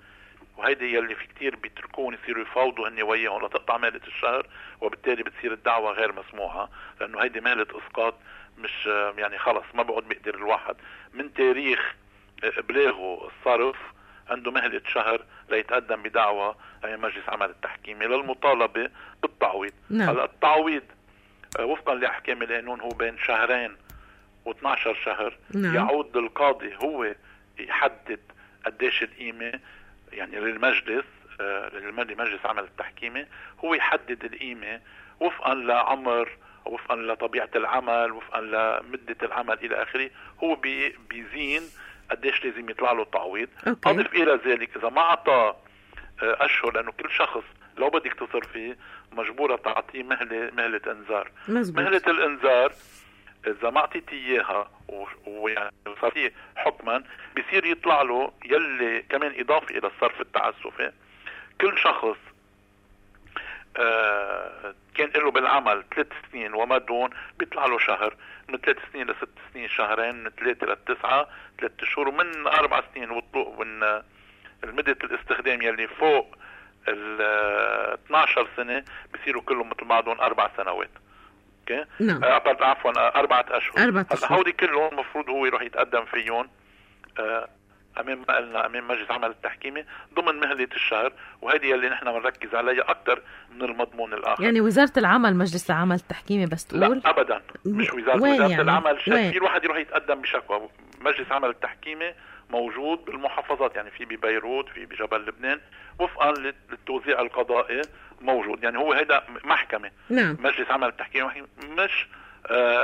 وهيدي يلي في كتير بيتركون يصيروا يفاوضوا هن وياهم لتقطع مهلة الشهر، وبالتالي بتصير الدعوة غير مسموحة، لانه هيدي مهلة اسقاط مش يعني خلص ما بقعد بيقدر الواحد من تاريخ ابلاغه الصرف عنده مهلة شهر ليتقدم بدعوة امام مجلس عمل التحكيمي للمطالبة بالتعويض. هلا التعويض وفقا لاحكام القانون هو بين 2 و12 شهر. يعود للقاضي هو يحدد قديش القيمة يعني للمجلس لمجلس عمل التحكيمي، هو يحدد القيمة وفقا لعمر وفقا لطبيعة العمل وفقا لمدة العمل إلى آخره، هو بيزين قديش لازم يطلع له التعويض. أضف إلى ذلك إذا ما عطى أشهر، لأنه كل شخص لو بدك تصر فيه مجبورة تعطيه مهلة إنذار. مهلة الإنذار اذا ما اعطيتي اياها ويعني صار فيه حكما، بصير يطلع له يلي كمان اضافه الى الصرف التعسفي. كل شخص كان له بالعمل 3 سنين وما دون بيطلع له شهر، من 3 سنين ل 6 سنين شهرين، من 3 ل 9 3 شهور، ومن 4 سنين ومن المدة الاستخدام يلي فوق ال 12 سنة بصيروا كلهم مثل بعضهم 4 سنوات. اوكي؟ نعم. عفوا 4 اشهر. 4 أشهر. هودي كلهم المفروض هو يروح يتقدم فيهم امام ما قلنا امام مجلس عمل التحكيمي ضمن مهلة الشهر، وهذه اللي نحن بنركز عليها اكثر من المضمون الاخر. يعني وزارة العمل مجلس العمل التحكيمي بس تقول؟ لا ابدا، مش وزارة يعني؟ العمل. وين؟ في الواحد يروح يتقدم بشكوى. مجلس عمل التحكيمي موجود بالمحافظات، يعني في ببيروت، في بجبل لبنان، وفقا للتوزيع القضائي موجود. يعني هو هيدا محكمة. نعم. مجلس عمل التحكيمي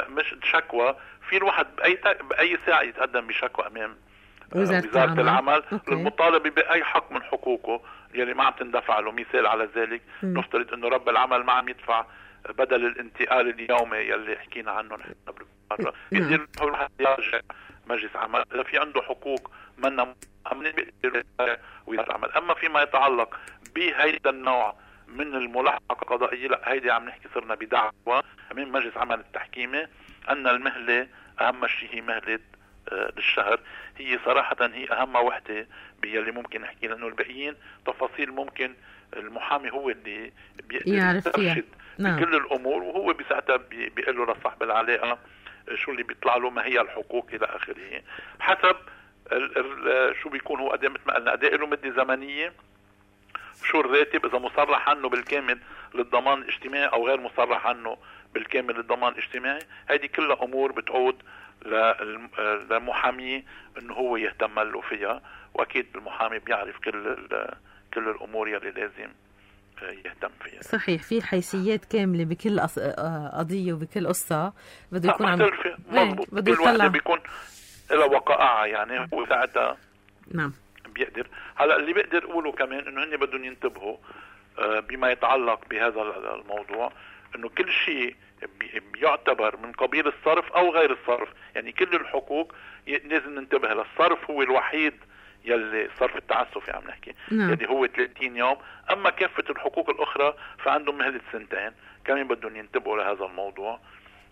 مش شكوى. في الواحد بأي ساعة يتقدم بشكوى أمام وزارة العمل للمطالبة بأي حق من حقوقه يلي ما عم تندفع له. مثال على ذلك، نفترض انه رب العمل ما عم يدفع بدل الانتقال اليومي يلي حكينا عنه نحن بالمرة، يصير الواحد يرجع مجلس عمل اذا في عنده حقوق منا وزارة العمل. اما فيما يتعلق بهيدا النوع من الملاحقة القضائية، لا، هيدي عم نحكي صرنا بدعوة من مجلس عمل التحكيمي ان المهلة اهم شيء هي مهلة للشهر. هي صراحة هي أهم وحدة باللي ممكن نحكي، لأنه الباقيين تفاصيل ممكن المحامي هو اللي يعرف فيها. نعم. بكل الأمور، وهو بساعتها بيقول له لصاحب العلاقة شو اللي بيطلع له، ما هي الحقوق إلى آخره، حسب شو بيكون هو مثل ما قلنا أداء له مدة زمنية، شو الراتب، إذا مصرح عنه بالكامل للضمان الاجتماعي أو غير مصرح عنه بالكامل للضمان الاجتماعي. هذه كلها أمور بتعود للمحامي انه هو يهتم له فيها، واكيد المحامي بيعرف كل الامور يلي لازم يهتم فيها. صحيح، في حيثيات كامله بكل قضيه وبكل قصه بده يكون عم مضبوط. بده يطلع بيكون له وقائع، يعني هو ساعتها نعم بيقدر. هلا اللي بيقدر اقوله كمان انه هن بدهم ينتبهوا بما يتعلق بهذا الموضوع، انه كل شيء بيعتبر من قبيل الصرف او غير الصرف، يعني كل الحقوق لازم ننتبه لها. الصرف هو الوحيد يلي صرف التعسفي عم نحكي، يعني هو 30 يوم. اما كافة الحقوق الاخرى فعندهم مهلة 2 سنين، كمان بدهم ينتبهوا لهذا الموضوع.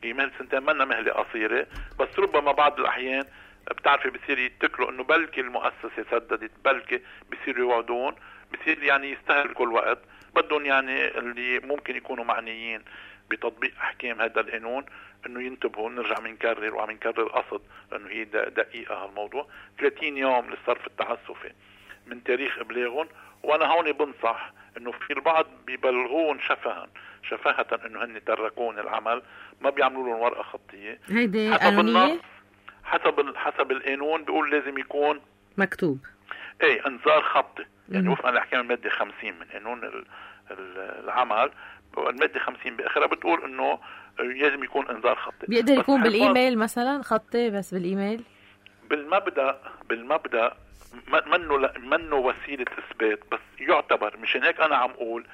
هي مهلة 2 سنين منا مهلة قصيرة، بس ربما بعض الاحيان بتعرفي بصير يتكلوا انه بلكي المؤسسة سددت، بلكي بصير يوعدون، بصير يعني يستهلكوا الوقت. بدهم يعني اللي ممكن يكونوا معنيين بتطبيق احكام هذا القانون انه ينتبهوا. نرجع منكرر وعم نكرر قصد لانه هي دقيقة هالموضوع. 30 يوم للصرف التعسفي من تاريخ ابلاغهم. وانا هون بنصح انه في البعض بيبلغون شفاهة انه هن تركون العمل، ما بيعملوا لهم ورقة خطية. هيدي حسب النص، حسب القانون بيقول لازم يكون مكتوب انذار خطي، يعني وفقا لاحكام المادة 50 من قانون العمل. المادة 50 بآخرها بتقول انه لازم يكون انذار خطي. بيقدر يكون بالايميل مثلا خطي، بس بالايميل بالمبدأ منه وسيلة اثبات، بس يعتبر. مشان هيك انا عم اقول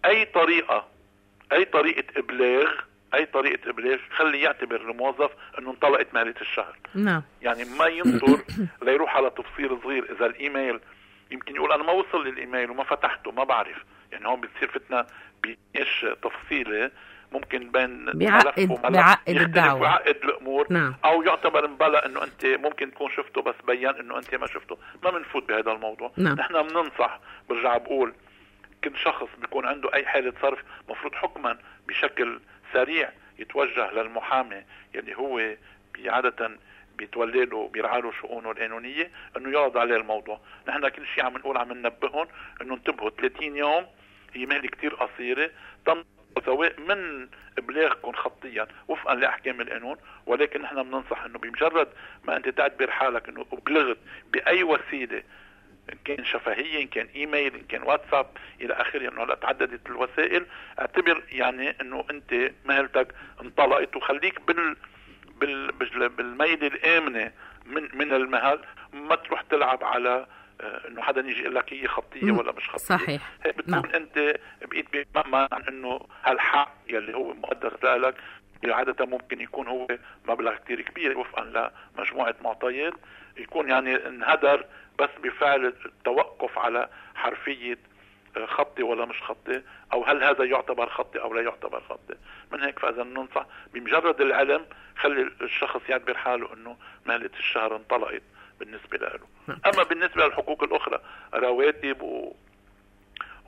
اي طريقة ابلاغ خلي يعتبر الموظف انه انطلقت مهلة الشهر. نعم. يعني ما ينظر ليروح على تفصيل صغير. اذا الايميل يمكن يقول انا ما وصل للايميل وما فتحته ما بعرف، يعني هون بتصير فتنة بيش تفصيلة ممكن بين بيعقد الدعوة ويعقد الامور. نعم. او يعتبر مبلغ انه انت ممكن تكون شفته بس بيان انه انت ما شفته. ما بنفوت بهذا الموضوع. نعم. نحن بننصح، برجع بقول كل شخص بيكون عنده اي حالة صرف مفروض حكما بشكل سريع يتوجه للمحامي يلي هو عادة بيتولي له بيرعى له شؤونه القانونية انه يعرض عليه الموضوع. نحن كل شيء عم نقول عم ننبههم انه انتبهوا 30 يوم هي مهلة كتير قصيرة، سواء من ابلاغكم خطيا وفقا لاحكام القانون. ولكن نحن بننصح انه بمجرد ما انت تعتبر حالك انه ابلغت باي وسيله، ان كان شفهيه، ان كان ايميل، ان كان واتساب الى اخره، انه لا تعددت الوسائل، اعتبر يعني انه انت مهلتك انطلقت. وخليك بالميل الامنه من المهل، ما تروح تلعب على انه حدا يجي يقول لك هي خطيه ولا مش خطيه. صحيح. هيك بتكون انت بقيت بمأمن عن انه هالحق يلي هو مقدس لك عادة ممكن يكون هو مبلغ كتير كبير وفقا لمجموعة معطيات، يكون يعني انهدر بس بفعل التوقف على حرفية خطي ولا مش خطي، او هل هذا يعتبر خطي او لا يعتبر خطي. من هيك فاذا ننصح بمجرد العلم خلي الشخص يعتبر حاله انه مهلة الشهر انطلقت بالنسبة له. اما بالنسبة للحقوق الاخرى، رواتب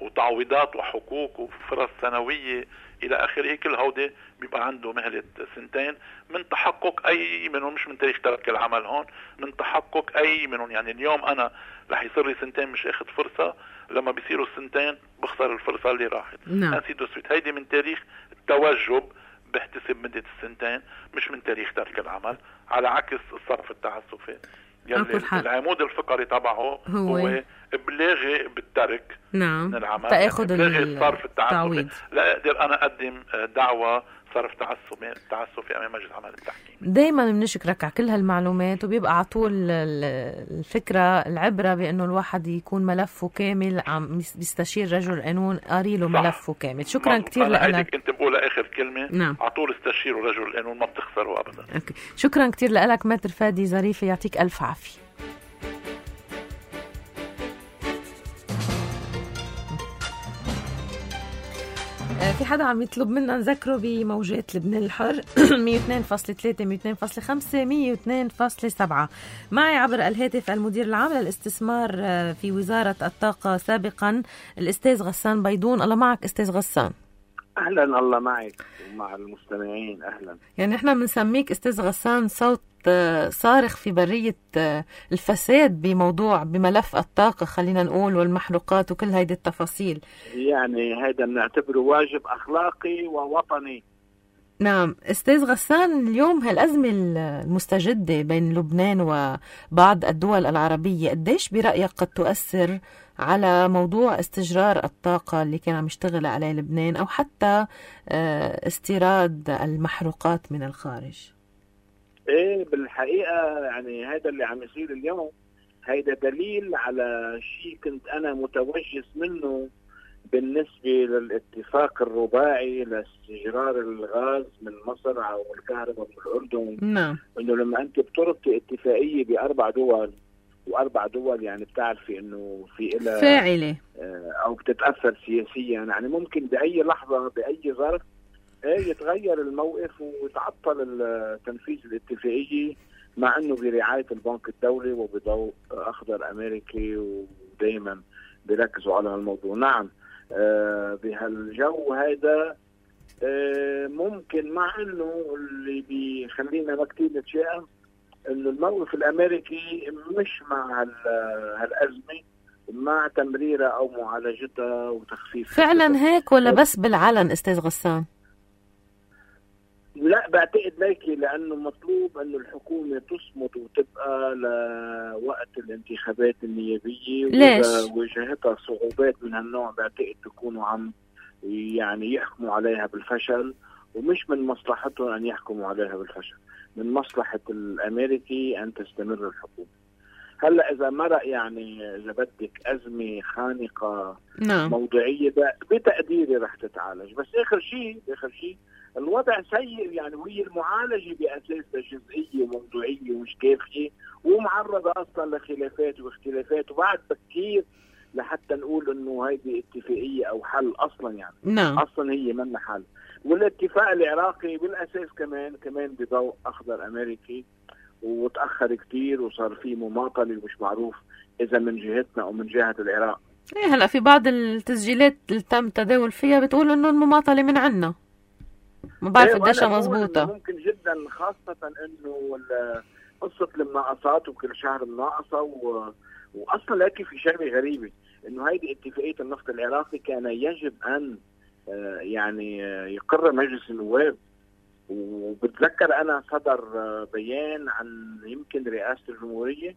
وتعويضات وحقوق وفرص سنوية الى اخره، كل هودي بيبقى عنده مهلة 2 سنين من تحقق اي منهم، مش من تاريخ ترك العمل هون، من تحقق اي منهم. يعني اليوم انا رح يصير لي 2 سنين مش اخذ فرصة، لما بيصيروا 2 سنين بخسر الفرصة اللي راحت. نسيت وسويت، هيدي من تاريخ التوجب بحتسب مدة 2 سنين، مش من تاريخ ترك العمل، على عكس الصرف التعسفي يلي العمود الفقري تبعه هو ابلاغي بالترك من العمل، تاخذ الصرف التعسفي. لا اقدر انا اقدم دعوة صرف تعسفي امام مجلس عمل التحكيم. دايما بنشكرك على كل هالمعلومات، وبيبقى على طول الفكره العبره بانه الواحد يكون ملفه كامل، عم بيستشير رجل قانون قاري له ملفه كامل. شكرا كثير لك. كنت بقول اخر كلمه، على طول استشيروا رجل القانون، ما بتخسروا ابدا. أوكي. شكرا كثير لك متر فادي ظريفي، يعطيك الف عافيه. في حدا عم يطلب منا نذكره بموجات لبنان الحر 102.3 102.5 102.7. معي عبر الهاتف المدير العام للاستثمار في وزارة الطاقة سابقا الأستاذ غسان بيضون. الله معك أستاذ غسان. أهلا، الله معك ومع المستمعين. أهلا. يعني احنا بنسميك أستاذ غسان صوت صارخ في برية الفساد بملف الطاقة، خلينا نقول، والمحروقات وكل هيدي التفاصيل. يعني هيدا بنعتبره واجب أخلاقي ووطني. نعم أستاذ غسان، اليوم هالأزمة المستجدة بين لبنان وبعض الدول العربية قديش برأيك قد تؤثر على موضوع استجرار الطاقة اللي كان عم يشتغل عليه لبنان، أو حتى استيراد المحروقات من الخارج؟ ايه بالحقيقة يعني هذا اللي عم يصير اليوم هيدا دليل على شيء كنت انا متوجس منه بالنسبة للاتفاق الرباعي لاستجرار الغاز من مصر او الكهرباء من الاردن. نعم. انه لما انت بتربطي اتفاقية ب4 دول، و4 دول يعني بتعرفي انه في إلها فاعلة او بتتأثر سياسيا، يعني ممكن باي لحظة باي ظرف يتغير الموقف ويتعطل تنفيذ الاتفاقية، مع انه برعاية البنك الدولي وبضوء اخضر امريكي ودايما بيركزوا على هالموضوع. نعم بهالجو هذا ممكن، مع انه اللي بيخلينا ما كتير نتشائم انه الموقف الامريكي مش مع هالازمة، مع تمريرها او معالجتها وتخفيف. فعلا هيك ولا بس بالعلن أستاذ غسان؟ لا بعتقد ليكي، لأنه مطلوب أنه الحكومة تصمد وتبقى لوقت الانتخابات النيابية. ليش؟ وإذا واجهتها صعوبات من هالنوع بعتقد تكونوا عم يعني يحكموا عليها بالفشل، ومش من مصلحتهم أن يحكموا عليها بالفشل، من مصلحة الأمريكي أن تستمر الحكومة. هلا إذا مرق يعني إذا بدك أزمة خانقة موضوعية بتقديري رح تتعالج، بس آخر شيء الوضع سيء يعني، وهي المعالجة بأساسها جزئية وموضوعية ومش كافية، ومعرضة أصلا لخلافات واختلافات، وبعد بكير لحتى نقول إنه هيدي اتفاقية أو حل أصلا يعني. أصلا هي من حل. والاتفاق العراقي بالأساس كمان بضوء أخضر أمريكي، وتأخر كتير وصار فيه مماطلة ومش معروف إذا من جهتنا أو من جهة العراق. هلأ في بعض التسجيلات اللي تم تداول فيها بتقول إنه المماطلة من عنا، ما بعرف قديش مضبوطة. ممكن جدا، خاصة إنه قصة المناقصات وكل شهر مناقصة وأصلا لكن في شغلة غريبة إنه هيدي اتفاقية النفط العراقي كان يجب أن يعني يقرر مجلس النواب. وبتذكر أنا صدر بيان عن يمكن رئاسة الجمهورية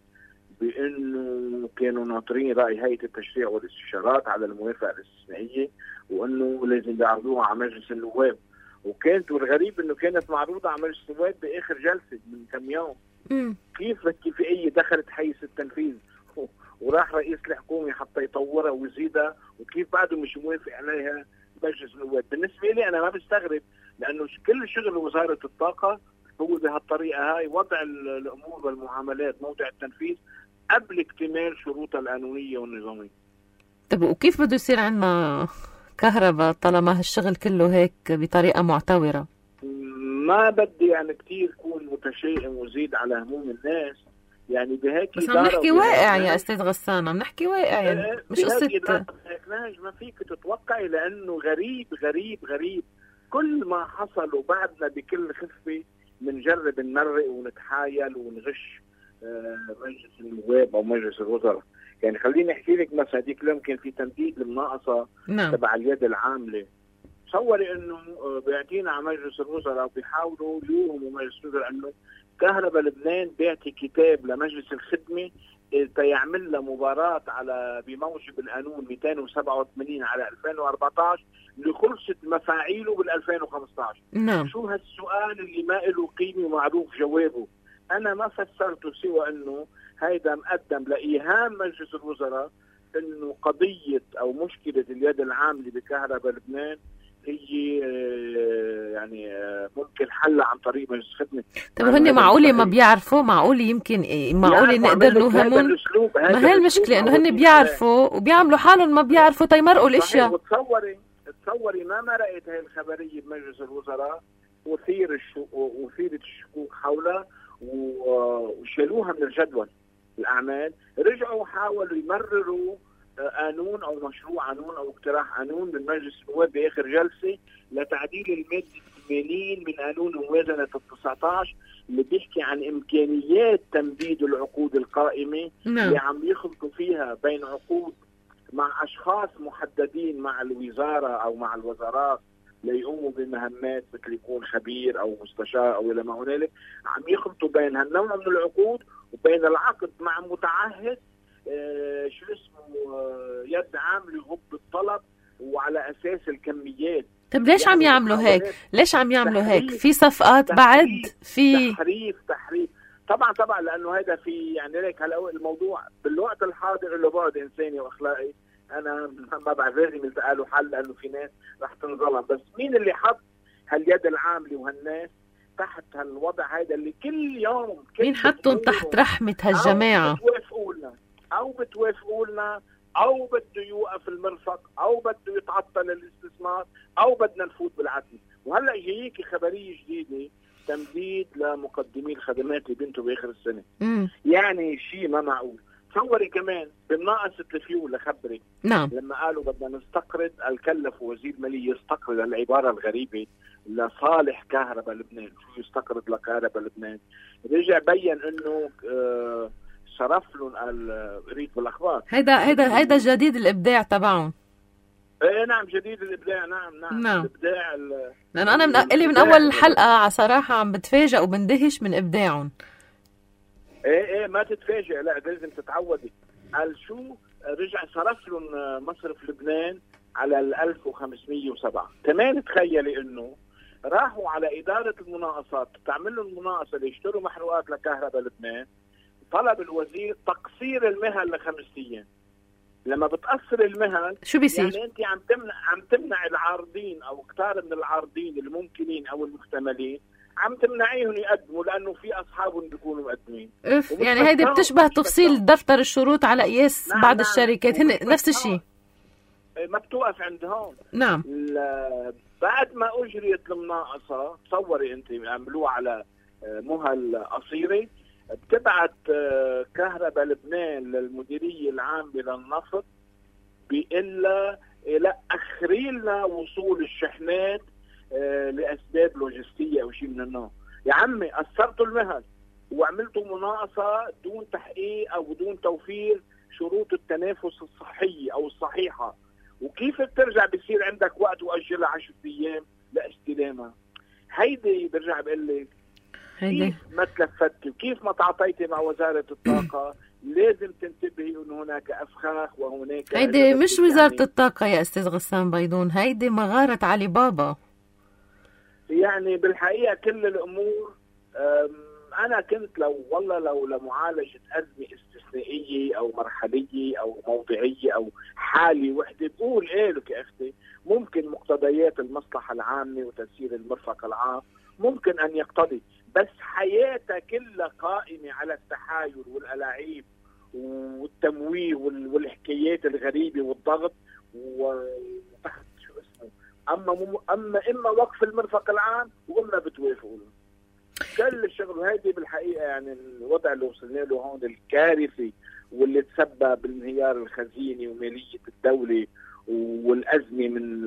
بأنه كانوا ناطرين رأي هيئة التشريع والاستشارات على الموافقة الاستثنائية، وأنه لازم يعرضوها على مجلس النواب. وكانت والغريب أنه كانت معروضة على مجلس النواب بآخر جلسة من كم يوم. كيف الاتفاقية دخلت حيز التنفيذ وراح رئيس الحكومة حتى يطورها ويزيدها، وكيف بعده مش موافق عليها مجلس النواب؟ بالنسبة لي أنا ما بستغرب، لانه كل شغل وزاره الطاقه هو بهالطريقه هاي، وضع الامور والمعاملات موضع التنفيذ قبل اكتمال شروطها القانونيه والنظاميه. طب وكيف بده يصير عندنا كهرباء طالما هالشغل كله هيك بطريقه معتوره؟ ما بدي يعني كتير كون متشائم وزيد على هموم الناس، يعني بهيك بس عم نحكي واقع يا استاذ غسان، عم نحكي واقع يعني مش قصه ما فيك تتوقعي، لانه غريب غريب غريب كل ما حصل، وبعدنا بكل خفه بنجرب نمرق ونتحايل ونغش مجلس النواب او مجلس الوزراء. يعني خليني احكي لك مثلا هذيك اليوم كان في تمديد المناقصه تبع اليد العامله. تصوري انه بيعطينا على مجلس الوزراء وبيحاولوا يوهموا مجلس الوزراء انه كهرباء لبنان بيعطي كتاب لمجلس الخدمه يعمل له مباراه على بموجب القانون 287 على 2014 اللي خلصت مفاعيله بال 2015. نعم. شو هالسؤال اللي ما له قيمه ومعروف جوابه؟ انا ما فسرته سوى انه هيدا مقدم لايهام مجلس الوزراء انه قضيه او مشكله اليد العامله بكهرباء لبنان هي يعني ممكن حلها عن طريق مجلس الخدمه. طب هن معقوله ما بيعرفوا؟ معقوله يمكن معقوله نقدر نوهمهم؟ ما هي المشكله انه هن بيعرفوا وبيعملوا حالهم ما بيعرفوا تيمرقوا الاشياء. تصوري ما مرقت هاي الخبريه بمجلس الوزراء وثيرت الشكوك حولها وشالوها من الجدول الاعمال. رجعوا حاولوا يمرروا قانون او مشروع قانون او اقتراح قانون من مجلس النواب باخر جلسه لتعديل الماده 80 من قانون موازنه ال 19 اللي بيحكي عن امكانيات تمديد العقود القائمه اللي عم يخلطوا فيها بين عقود مع اشخاص محددين مع الوزاره او مع الوزارات ليقوموا بمهمات مثل يكون خبير او مستشار او الى ما هنالك، عم يخلطوا بين هالنوع من العقود وبين العقد مع متعهد شو اسمه يد عامله يغب الطلب وعلى اساس الكميات. طب ليش يعني عم يعملوا هيك؟ ليش عم يعملوا هيك؟ في صفقات بعد في تحريف طبعا لانه هذا في يعني ليك هلا الموضوع بالوقت الحاضر له بعد انساني واخلاقي. انا ما بعرف لازم يلتقى له حل لانه في ناس رح تنظلم، بس مين اللي حط هاليد العامله وهالناس تحت هالوضع هذا اللي كل يوم مين حطهم تحت رحمه هالجماعه؟ بتوافقوا لنا او بده يوقف المرفق او بده يتعطل الاستثمار او بدنا نفوت بالعتمه. وهلا جاييكي خبريه جديده تمديد لمقدمي الخدمات اللي بنتوا باخر السنه. يعني شيء ما معقول. تصوري كمان بمناقصه الفيول لخبرك. نعم. لما قالوا بدنا نستقرض الكلف وزير الماليه يستقرض، العباره الغريبه لصالح كهرباء لبنان. شو يستقرض لكهرباء لبنان؟ رجع بين انه صرف لهم قريت بالاخبار. هيدا جديد الابداع تبعهم. ايه نعم جديد الابداع. نعم. الابداع لأن انا من اول حلقه صراحه عم بتفاجئ وبندهش من ابداعهم. ايه ما تتفاجئ، لا لازم تتعودي. قال شو رجع صرف لهم مصرف لبنان على 1507. كمان تخيلي انه راحوا على اداره المناقصات تعمل لهم المناقصه ليشتروا محروقات لكهرباء لبنان. طلب الوزير تقصير المهل ل5 ايام. لما بتقصر المهل شو بيصير؟ يعني انت عم تمنع العارضين او كتار من العارضين الممكنين او المحتملين، عم تمنعيهم يقدموا لانه في اصحابهم بيكونوا مقدمين. يعني هيدي بتشبه تفصيل دفتر الشروط على قياس بعض الشركات. هن نفس الشيء. ما بتوقف عند هون. نعم. بعد ما اجريت المناقصه تصوري انت عملوها على مهل قصيره، بتبعت كهرباء لبنان للمديريه العامه للنفط بإلا لا اخري لنا وصول الشحنات لاسباب لوجستيه او شيء من النوع. يا عمي قصرتوا المهل وعملتوا مناقصه دون تحقيق او دون توفير شروط التنافس الصحيه او الصحيحه، وكيف بترجع بصير عندك وقت واجلها 10 ايام لاستلامها؟ هيدي برجع بقول لك كيف ما تلفتي وكيف ما تعاطيتي مع وزاره الطاقه. لازم تنتبهي انه هناك افخاخ وهناك هيدي مش وزاره الطاقه يا استاذ غسان بيضون، هيدي مغاره علي بابا. يعني بالحقيقه كل الامور انا كنت لو لمعالجه ازمه استثنائيه او مرحليه او موضعيه او حاله وحده، بقول ايه لك يا اختي ممكن مقتضيات المصلحه العامه وتسيير المرفق العام ممكن ان يقتضي، بس حياتها كلها قائمه على التحايل والالاعيب والتمويه والحكايات الغريبه والضغط وتحت شو اسمه اما وقف المرفق العام واما بتوافقوا له. كل الشغل هيدي بالحقيقه يعني الوضع اللي وصلنا له هون الكارثي واللي تسبب بانهيار الخزينه وماليه الدوله والازمه من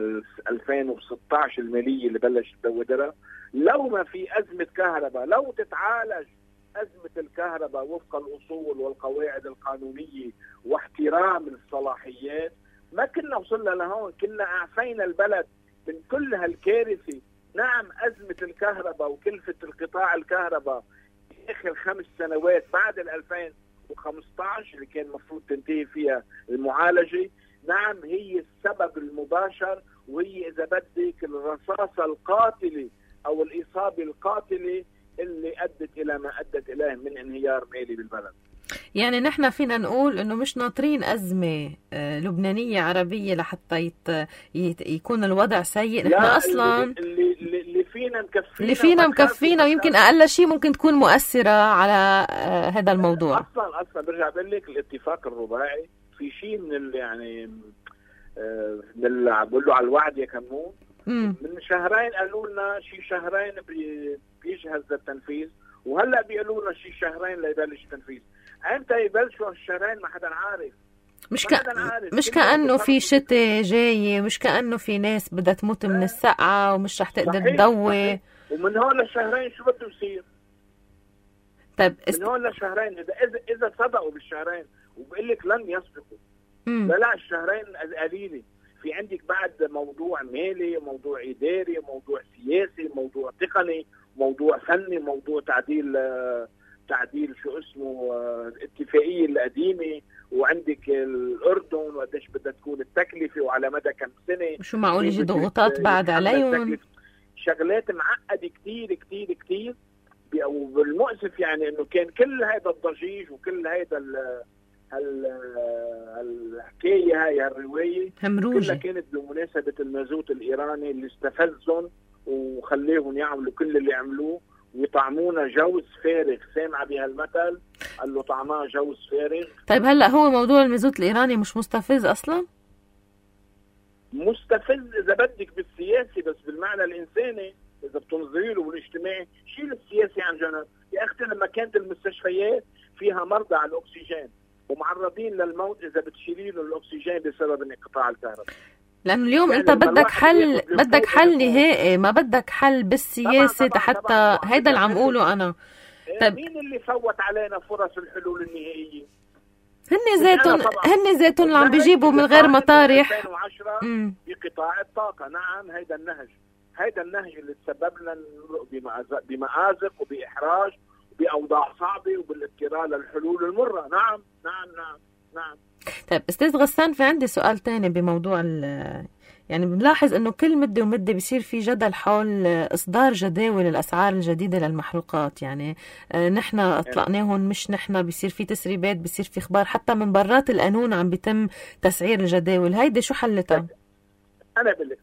2016 الماليه اللي بلش تدودرها. لو ما في ازمه كهرباء، لو تتعالج ازمه الكهرباء وفق الاصول والقواعد القانونيه واحترام الصلاحيات، ما كنا وصلنا لهون، كنا اعفينا البلد من كل هالكارثه. نعم أزمة الكهرباء وكلفة القطاع الكهرباء في آخر 5 سنوات بعد 2015 اللي كان المفروض تنتهي فيها المعالجة، نعم هي السبب المباشر، وهي إذا بدك الرصاصة القاتلة أو الإصابة القاتلة اللي أدت إلى ما أدت إليه من انهيار مالي بالبلد. يعني نحن فينا نقول انه مش ناطرين أزمة لبنانية عربية لحتى يكون الوضع سيء. نحن اصلا اللي فينا مكفينا ويمكن اقل شيء ممكن تكون مؤثرة على هذا الموضوع. اصلا برجع بقول لك الاتفاق الرباعي في شيء من يعني بقول له على الوعد يا كمون. من شهرين قالوا لنا شيء شهرين بيجهز للتنفيذ، وهلا بيقولوا لنا شيء شهرين ليبلش التنفيذ. امتى يبلشوا الشهرين ما حدا عارف. مش كأنه في شتاء جاي، مش كأنه في ناس بدها تموت من السقعة ومش رح تقدر تضوي. ومن هون للشهرين شو بده يصير؟ طيب من هون للشهرين اذا صدقوا بالشهرين وبقول لك لن يسبقوا. لا الشهرين قليله. في عندك بعد موضوع مالي، موضوع اداري، موضوع سياسي، موضوع تقني، موضوع فني، موضوع تعديل شو اسمه الاتفاقيه القديمه، وعندك الاردن وقديش بدها تكون التكلفه وعلى مدى كم سنه، شو معقول يجي ضغوطات بعد عليهم. شغلات معقده كتير كتير كتير. وبالمؤسف يعني انه كان كل هذا الضجيج وكل هذا الحكايه هاي الروايه كلها كانت بمناسبه المازوت الايراني اللي استفزهم وخليهم يعملوا كل اللي عملوه ويطعمونا جوز فارغ. سامع بهالمثل قال له طعماه جوز فارغ. طيب هلا هو موضوع المازوت الايراني مش مستفز اصلا؟ مستفز اذا بدك بالسياسي، بس بالمعنى الانساني اذا بتنظري له والاجتماعي شيل السياسي عن جنب. يا اختي لما كانت المستشفيات فيها مرضى على الاكسجين ومعرضين للموت اذا بتشيلي له الاكسجين بسبب انقطاع الكهرباء. لأنه اليوم يعني أنت بدك حل نهائي، ما بدك حل بالسياسة حتى هيدا اللي عم قوله أنا. طيب مين اللي فوت علينا فرص الحلول النهائية؟ هن ذاتهم اللي عم بيجيبوا من غير مطارح. 2010 بقطاع الطاقة. نعم هيدا النهج اللي تسبب لنا بمآزق وبإحراج وبأوضاع صعبة وبالاضطرار للحلول المرة. نعم. طيب أستاذ غسان، في عندي سؤال تاني بموضوع يعني بنلاحظ انه كل مدة ومدة بيصير في جدل حول اصدار جداول الاسعار الجديدة للمحروقات. يعني نحن اطلقناهم، مش نحن، بيصير في تسريبات، بيصير في اخبار حتى من برات القانون عم بيتم تسعير الجداول. هيدي شو حلتها؟ انا بقول لك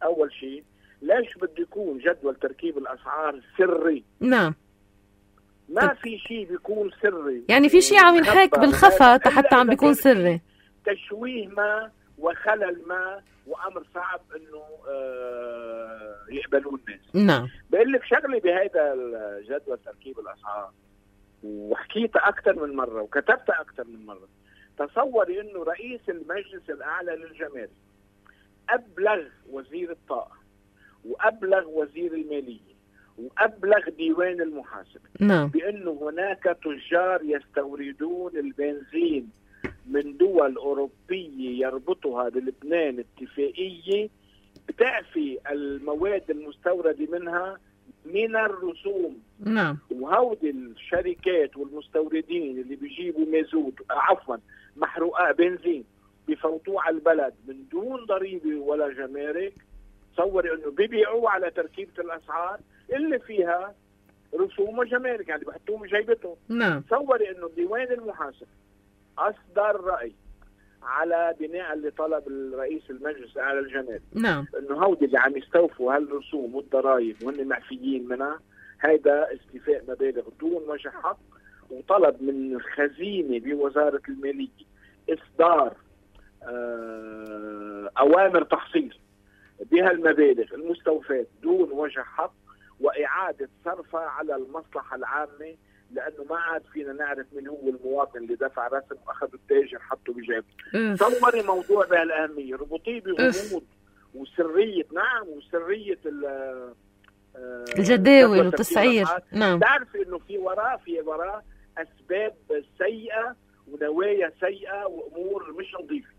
اول شيء ليش بده يكون جدول تركيب الاسعار سري؟ نعم، ما في شيء بيكون سري. يعني في شيء عم ينحك بالخفا حتى عم بيكون سري. تشويه ما وخلل ما وامر صعب انه يقبلوه الناس. نعم. بقول لك شغله بهذا الجدول تركيب الاسعار وحكيتها اكثر من مره وكتبتها اكثر من مره. تصوري انه رئيس المجلس الاعلى للجمارك ابلغ وزير الطاقه وابلغ وزير الماليه وأبلغ ديوان المحاسبة بأنه هناك تجار يستوردون البنزين من دول أوروبية يربطها بلبنان اتفاقية بتعفي المواد المستوردة منها من الرسوم. وهودي الشركات والمستوردين اللي بيجيبوا مازوت محروقات بنزين بفوتوه على البلد من دون ضريبة ولا جمارك. تصوري انه بيبيعوا على تركيبة الاسعار اللي فيها رسوم وجمارك، يعني بحطوهم بجيبتهم. نعم. تصوري انه ديوان المحاسبة اصدر رأي على بناء اللي طلب الرئيس المجلس على الجمارك، نعم، انه هودي اللي عم يستوفوا هالرسوم والضرائب وهن معفيين منها، هيدا استيفاء مبالغ دون وجه حق، وطلب من الخزينة بوزارة المالية إصدار أوامر تحصيل بهالمبالغ المستوفاة دون وجه حق، وإعادة صرفها على المصلحة العامة، لأنه ما عاد فينا نعرف من هو المواطن اللي دفع رسم وأخذ التاجر حطه بجيبه. تصوري موضوع بهالأهمية، ربطيه بغموض وسرية، نعم، وسرية الجداول والتسعير. نعم. تعرفي انه في وراء اسباب سيئة ونوايا سيئة وامور مش نظيفة.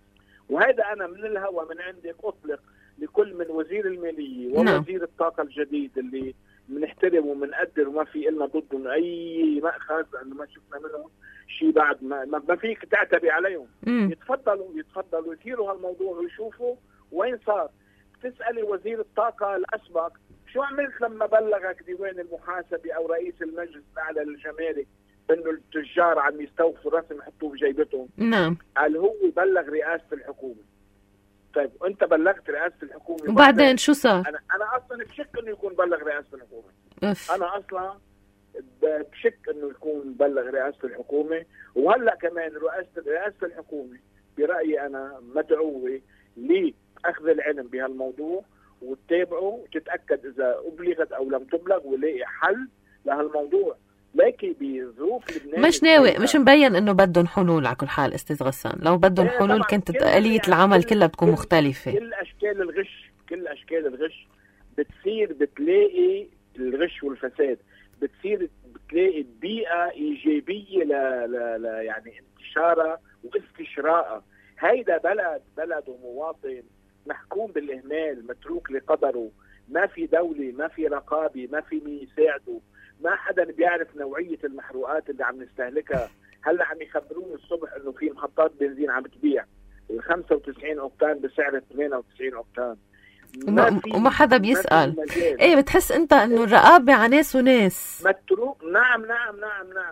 وهذا انا من الهوى من عندك اطلق لكل من وزير المالية ووزير الطاقة الجديد اللي بنحترم وبنقدر وما في إلنا ضدهم اي مأخذ، لانه ما شفنا منهم شيء بعد ما فيك تعتبي عليهم. يتفضلوا يثيروا هالموضوع ويشوفوا وين صار. تسألي وزير الطاقة الأسبق شو عملت لما بلغك ديوان المحاسبة أو رئيس المجلس الأعلى للجمارك إنه التجار عم يستوفوا رسم يحطوه بجيبتهم؟ نعم. قال هو بلغ رئاسة الحكومة. طيب وأنت بلغت رئاسة الحكومة وبعدين شو صار؟ أنا أصلا بشك إنه يكون بلغ رئاسة الحكومة. أنا أصلا بشك إنه يكون بلغ رئاسة الحكومة. وهلا كمان رئاسة الحكومة برأيي أنا مدعوة لأخذ العلم بهالموضوع وتتابعه وتتأكد إذا أبلغت أو لم تبلغ ولاقي حل لهالموضوع. لكن بظروف لبنان مش ناوي، مش مبين إنه بدهم حلول. على كل حال أستاذ غسان، لو بدهم حلول كانت آلية العمل كلها بتكون مختلفة. كل أشكال الغش بتلاقي الغش والفساد، بتلاقي بيئة إيجابية يعني انتشارها واستشراءها. هيدا بلد ومواطن محكوم بالإهمال، متروك لقدره، ما في دولة، ما في رقابة، ما في مين يساعده، ما حدا بيعرف نوعية المحروقات اللي عم نستهلكها. هلا عم يخبروني الصبح انه في محطات بنزين عم تبيع ال 95 اوكتان بسعر 98 اوكتان، وما حدا بيسأل. ايه بتحس انت انه الرقابة على ناس وناس متروك. نعم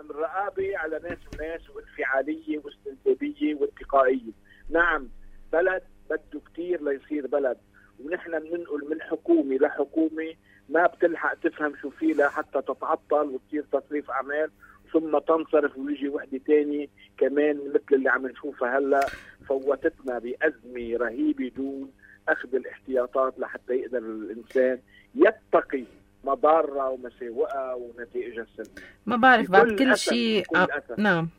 الرقابة على ناس وناس، وانفعالية واستنتاجية واتقائية. نعم بلد بده كتير ليصير بلد، ونحن بننقل من حكومة لحكومة ما بتلحق تفهم شو فيه لحتى تتعطل وتصير تصريف أعمال ثم تنصرف ويجي وحدة تاني كمان مثل اللي عم نشوفها هلا، فوتتنا بأزمة رهيبة دون أخذ الاحتياطات لحتى يقدر الإنسان يتقي مضارة ومساوئها ونتائجها السلبية. ما بعرف بعد كل شيء نعم،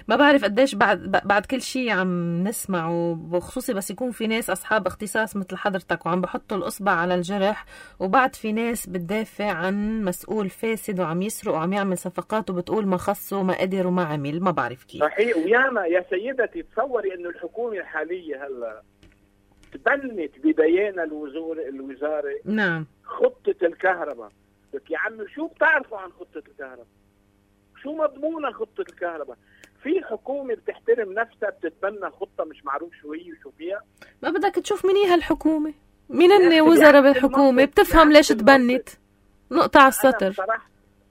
ما بعرف قديش بعد كل شيء عم نسمع، وبخصوصي بس يكون في ناس أصحاب اختصاص مثل حضرتك وعم بحطوا الأصبع على الجرح، وبعد في ناس بتدافع عن مسؤول فاسد وعم يسرق وعم يعمل صفقات وبتقول ما خصه ما قدر وما عمل. ما بعرف كيف. صحيح. وياما يا سيدتي تصوري إنه الحكومة الحالية هلا تبنت ببيان الوزارة نعم خطة الكهرباء. لك يا عمي شو بتعرفوا عن خطة الكهرباء؟ شو مضمونة خطة الكهرباء؟ في حكومة بتحترم نفسها بتتبنى خطة مش معروف شو هي وشو فيها؟ ما بدك تشوف مين هي هالحكومة، مين هن وزراء بالحكومة، بتفهم ليش تبنت. نقطة على السطر.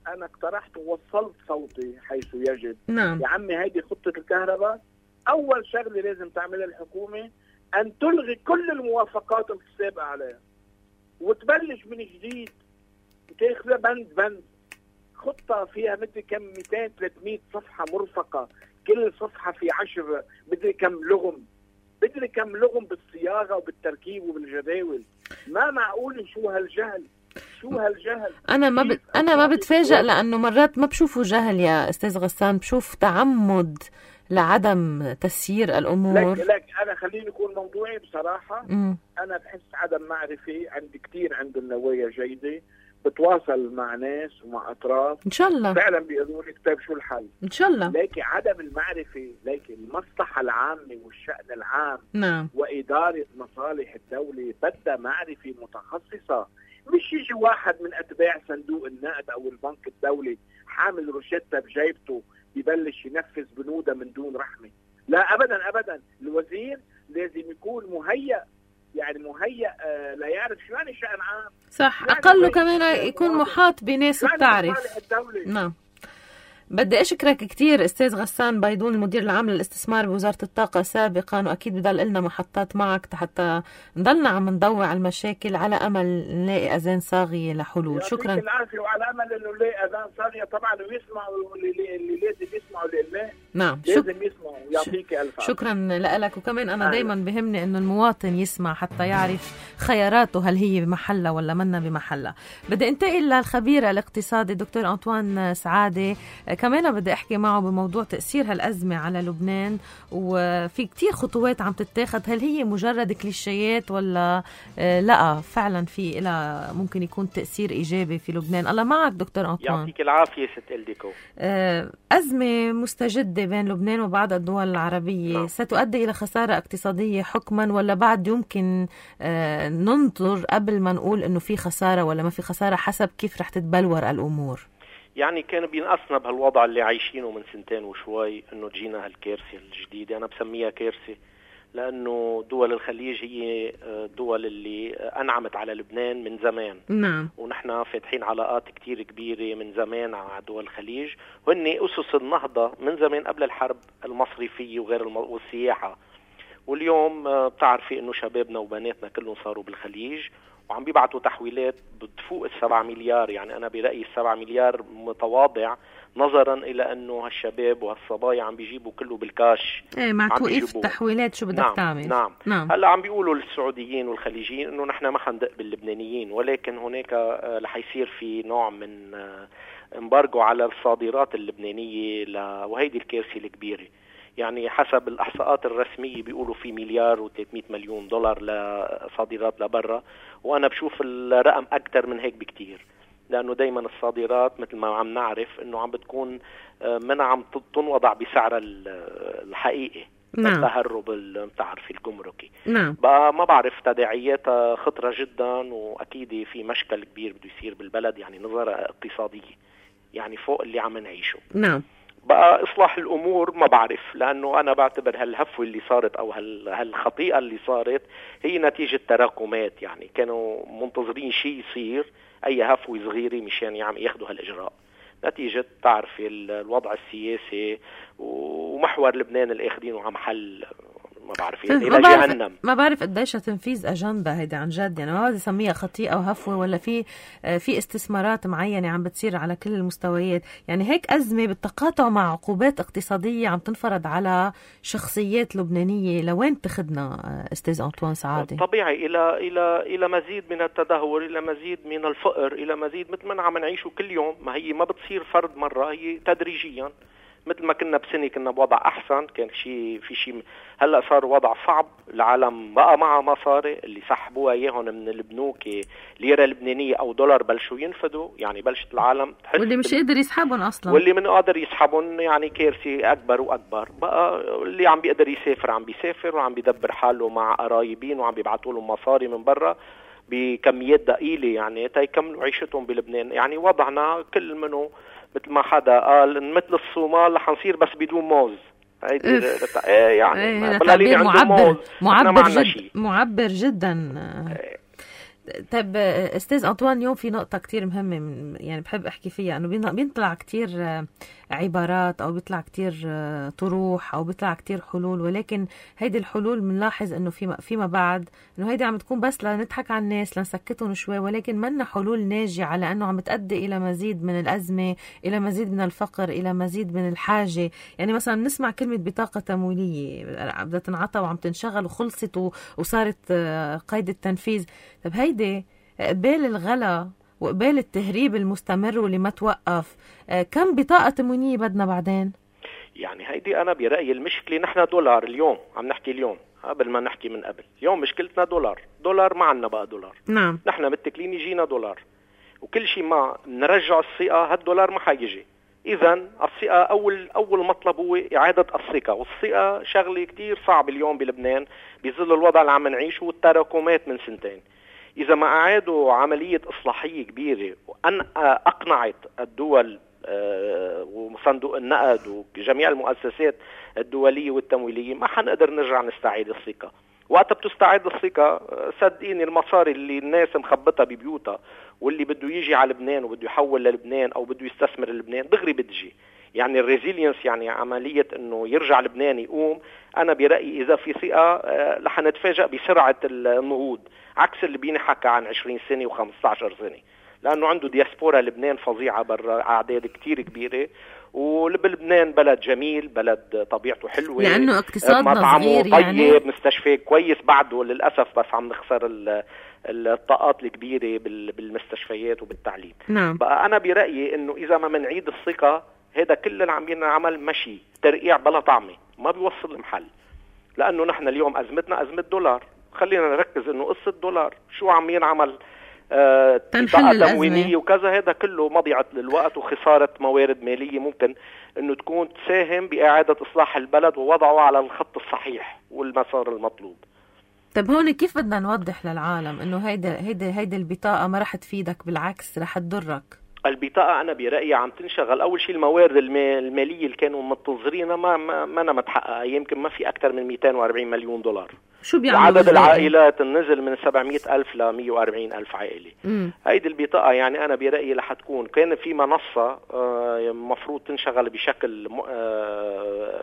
أنا اقترحت ووصلت صوتي حيث يجب. نعم. يا عمي هيدي خطة الكهرباء، أول شغلة لازم تعملها الحكومة أن تلغي كل الموافقات السابقة عليها وتبلش من جديد وتاخذها بند خطة فيها مدري كم 200-300 صفحة مرفقة، كل صفحة في 10 مدري كم لغم بالصياغة وبالتركيب وبالجداول. ما معقول. شو هالجهل. أنا ما بتفاجأ لأنه مرات ما بشوفه جهل يا أستاذ غسان، بشوف تعمد لعدم تسيير الأمور. لك أنا خليني أكون موضوعي بصراحة. أنا بحس عدم معرفة عندي كتير، عند النوايا جيدة، بتواصل مع ناس ومع أطراف إن شاء الله فعلا بيقولوا لي طيب شو الحل إن شاء الله. لكن عدم المعرفة، لكن المصلحة العامة والشأن العام نعم. وإدارة مصالح الدولة بدها معرفة متخصصة. مش يجي واحد من أتباع صندوق النقد أو البنك الدولي حامل روشتة بجيبته يبلش ينفذ بنودة من دون رحمة. لا أبدا. الوزير لازم يكون مهيأ يعني مهيأ لا يعرف شو يعني شأن عام. صح، أقله كمان يكون محاط بناس بتعرف. نعم. بدي أشكرك كتير أستاذ غسان بيضون، المدير العام للاستثمار بوزارة الطاقة سابقا، وأكيد بضل لنا محطات معك حتى نضلنا عم نضوع على المشاكل على أمل نلاقي أذان صاغية لحلول. شكرا. يعطيك العافية، وعلى أمل إنه نلاقي أذان صاغية طبعا، ويسمعوا اللي لازم يسمعوا لله. نعم، لازم يسمعوا. يعطيك ألف عافية. شكرا لك. وكمان أنا دايما بهمني إنه المواطن يسمع حتى يعرف خياراته هل هي بمحلها ولا منا بمحلها. بدي انتقل للخبير الاقتصادي دكتور أنطوان سعادة، كمان بدي أحكي معه بموضوع تأثير هالأزمة على لبنان، وفي كتير خطوات عم تتاخد، هل هي مجرد كليشيات ولا لا فعلا في إلها ممكن يكون تأثير إيجابي في لبنان؟ الله معك دكتور أنطوان. يعطيك العافية ست إلديكو. أزمة مستجدة بين لبنان وبعض الدول العربية ستؤدي إلى خسارة اقتصادية حكما، ولا بعد يمكن ننظر قبل ما نقول إنه في خسارة ولا ما في خسارة، حسب كيف رح تتبلور الأمور؟ يعني كان بينقصنا بهالوضع اللي عايشينه من 2 وشوي انه تجينا هالكارثة الجديدة. انا بسميها كارثة لانه دول الخليج هي دول اللي انعمت على لبنان من زمان. نعم. ونحن فاتحين علاقات كتير كبيرة من زمان مع دول الخليج، وهن اسس النهضة من زمان قبل الحرب المصرفية وغير والسياحة. واليوم بتعرفي انه شبابنا وبناتنا كلهم صاروا بالخليج وعم بيبعتوا تحويلات بتفوق 7 مليار. يعني أنا برأيي 7 مليار متواضع نظرا إلى أنه هالشباب وهالصبايا عم بيجيبوا كله بالكاش. مع توقيف التحويلات شو بدك تعمل؟ نعم. هلا عم بيقولوا للسعوديين والخليجيين أنه نحن ما حندق باللبنانيين، ولكن هناك رح يصير في نوع من امبارجو على الصادرات اللبنانية وهيدي الكارثة الكبيرة. يعني حسب الإحصاءات الرسمية بيقولوا في $1,300 مليون لصادرات لبرا، وأنا بشوف الرقم أكتر من هيك بكتير، لأنه دايما الصادرات مثل ما عم نعرف أنه عم بتكون من عم تنوضع بسعر الحقيقي. نعم. التهرب بتعرفي الجمركي. نعم. بقى ما بعرف تداعياتها خطرة جدا، وأكيد في مشكل كبير بده يصير بالبلد، يعني نظرة اقتصادية يعني فوق اللي عم نعيشه. نعم. بقى إصلاح الأمور ما بعرف، لأنه أنا بعتبر هالهفوة اللي صارت أو هالخطيئة اللي صارت هي نتيجة تراكمات. يعني كانوا منتظرين شيء يصير، أي هفوة صغيرة مشان ياخدوا هالإجراء، نتيجة تعرفي الوضع السياسي ومحور لبنان اللي اخدينه عم حل ما بعرف إلى جهنم. ما بعرف قديش تنفيذ أجندة هيدا عن جد، يعني ما بدي أسميها خطيئة وهفوة، ولا في استثمارات معينة عم بتصير على كل المستويات. يعني هيك أزمة بالتقاطع مع عقوبات اقتصادية عم تنفرض على شخصيات لبنانية، لوين تخدنا أستاذ أنطوان سعادة؟ طبيعي إلى مزيد من التدهور، إلى مزيد من الفقر، إلى مزيد مثل ما عم نعيشه كل يوم. ما هي ما بتصير فرد مرة، هي تدريجيا. مثل ما كنا بسنة كنا بوضع أحسن، كان في شيء، هلأ صار وضع صعب. العالم بقى معها مصاري اللي سحبوها إياهم من البنوك، ليرة لبنانية أو دولار، بلشوا ينفدوا. يعني بلشت العالم تحس، واللي مش قادر يسحبهم أصلا، واللي من قادر يسحبهم يعني كارثة أكبر وأكبر. بقى اللي عم بيقدر يسافر عم بيسافر، وعم بيدبر حاله مع قرايبين، وعم بيبعتوا لهم مصاري من برا بكميات ضئيلة يعني تيكملوا عيشتهم بلبنان. يعني وضعنا كل منه مثل ما حدا قال مثل الصومال رح نصير بس بدون موز. يعني تعبير معبر جدا. طيب استاذ أنطوان، اليوم في نقطة كتير مهمة يعني بحب احكي فيها، انه بيطلع كتير عبارات او بيطلع كتير طروح او بيطلع كتير حلول، ولكن هيدي الحلول بنلاحظ انه فيما بعد انه هيدي عم تكون بس لنضحك على الناس لنسكتهم شوي، ولكن منا حلول ناجعة، لانه عم تؤدي الى مزيد من الازمة، الى مزيد من الفقر، الى مزيد من الحاجة. يعني مثلا بنسمع كلمة بطاقة تمويلية بدها تنعطى وعم تنشغل وخلصت وصارت قيد التنفيذ. طب هيدي قبال الغلا وقبال التهريب المستمر واللي ما توقف، كم بطاقة تموينية بدنا بعدين؟ يعني هيدي أنا برأيي المشكلة، نحن دولار اليوم عم نحكي اليوم قبل ما نحكي من قبل. اليوم مشكلتنا دولار ما عنا بقى دولار. نعم. نحن متكلين يجينا دولار، وكل شيء ما نرجع الثقة هالدولار ما حيجي. إذا الثقة أول مطلب هو إعادة الثقة، والثقة شغلة كتير صعب اليوم بلبنان بظل الوضع اللي عم نعيشه والتراكمات من 2 سنين. إذا ما أعادوا عملية إصلاحية كبيرة وأن أقنعت الدول وصندوق النقد وجميع المؤسسات الدولية والتمويلية، ما حنقدر نرجع نستعيد الثقة. وقت بتستعيد الثقة صدقيني المصاري اللي الناس مخبطها ببيوتها واللي بده يجي على لبنان وبده يحول للبنان أو بده يستثمر لبنان دغري بتجي. يعني الريزيلينس، يعني عملية انه يرجع لبنان يقوم، انا برأيي اذا في ثقة رح نتفاجأ بسرعة النهوض، عكس اللي بينحكى عن 20 سنة و15 سنة، لانه عنده دياسبورا لبنان فظيعة برا، اعداد كتير كبيرة، ولبنان بلد جميل، بلد طبيعته حلوة، لانه اقتصادنا مطعمه صغير طيب، يعني مستشفى كويس بعده للأسف، بس عم نخسر الطاقات الكبيرة بالمستشفيات وبالتعليم. نعم. بقى انا برأيي انه اذا ما منعيد الثقة، هذا كل اللي عم ينعمل مشي ترقيع بلا طعمة، ما بيوصل المحل. لأنه نحن اليوم أزمتنا أزمة دولار، خلينا نركز إنه قصة دولار شو عم ينعمل، تنحل تموينية وكذا، هذا كله مضيعة للوقت وخسارة موارد مالية ممكن إنه تكون تساهم بإعادة إصلاح البلد ووضعه على الخط الصحيح والمسار المطلوب. طب هون كيف بدنا نوضح للعالم إنه هيدا البطاقة ما رح تفيدك، بالعكس رح تضرك؟ البطاقة أنا برأيي عم تنشغل. أول شيء الموارد المالية اللي كانوا منتظرينها ما أنا متحققة، يمكن ما في أكثر من 240 مليون دولار. شو بيعملوا؟ وعدد العائلات نزل من 700,000 ل 140,000 عائلة. هيدي البطاقة يعني أنا برأيي رح تكون، كان في منصة مفروض تنشغل بشكل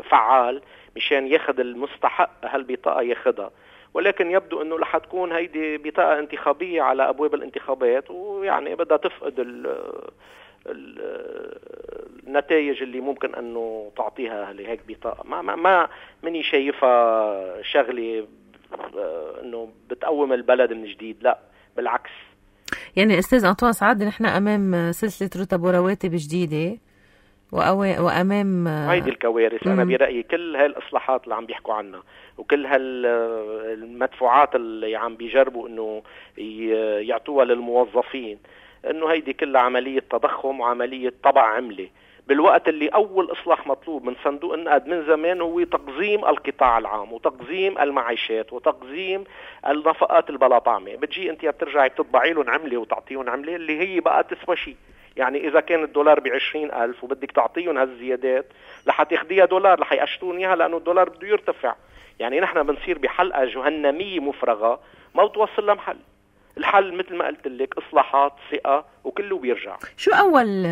فعال مشان ياخد المستحق هالبطاقة ياخدها، ولكن يبدو انه رح تكون هيدي بطاقة انتخابية على ابواب الانتخابات، ويعني بدها تفقد النتائج اللي ممكن انه تعطيها لهيك بطاقة. ما مني شايفها شغلة انه بتقوم البلد من جديد، لا بالعكس. يعني استاذ أنطوان سعد، نحن امام سلسلة رتب ورواتب جديدة وامام هيدي الكوارث. انا برأيي كل هالاصلاحات اللي عم بيحكوا عنها وكل هالمدفوعات اللي عم بيجربوا انه يعطوها للموظفين، انه هيدي كلها عملية تضخم وعملية طبع عملة، بالوقت اللي اول اصلاح مطلوب من صندوق النقد من زمان هو تقزيم القطاع العام وتقزيم المعيشات وتقزيم النفقات البلا طعمة. بتجي انت بترجعي بتطبعي لهم عملة وتعطيهم عملة اللي هي بقى تسوى شيء. يعني إذا كان الدولار ب20,000 وبدك تعطيهم هالزيادات رح تاخديها دولار، رح يقشطون إياها لأنه الدولار بده يرتفع. يعني نحن بنصير بحلقة جهنمية مفرغة ما بتوصل لمحل. الحل مثل ما قلت لك إصلاحات، ثقة، وكله بيرجع. شو أول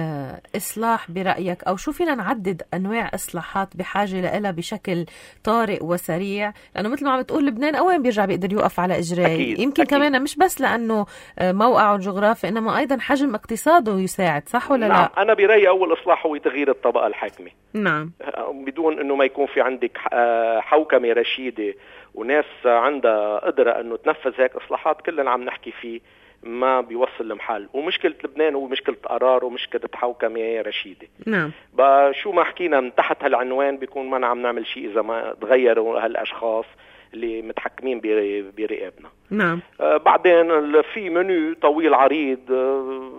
إصلاح برأيك، أو شو فينا نعدد أنواع إصلاحات بحاجة لها بشكل طارئ وسريع؟ لأنه مثل ما عم تقول لبنان أوين بيرجع بيقدر يوقف على إجرائه، يمكن أكيد. كمان مش بس لأنه موقعه الجغرافي، إنما أيضا حجم اقتصاده يساعد، صح ولا نعم. لا؟ أنا برأيي أول إصلاح هو تغيير الطبقة الحاكمة. نعم. بدون إنه ما يكون في عندك حوكمة رشيدة وناس عندها قدرة انه تنفذ هيك اصلاحات، كلنا عم نحكي فيه ما بيوصل لمحل. ومشكلة لبنان هو مشكلة قرار ومشكلة حوكمة رشيدة. نعم. شو ما حكينا من تحت هالعنوان بيكون ما عم نعمل شيء اذا ما تغيروا هالاشخاص اللي متحكمين برقابنا. نعم. بعدين في منو طويل عريض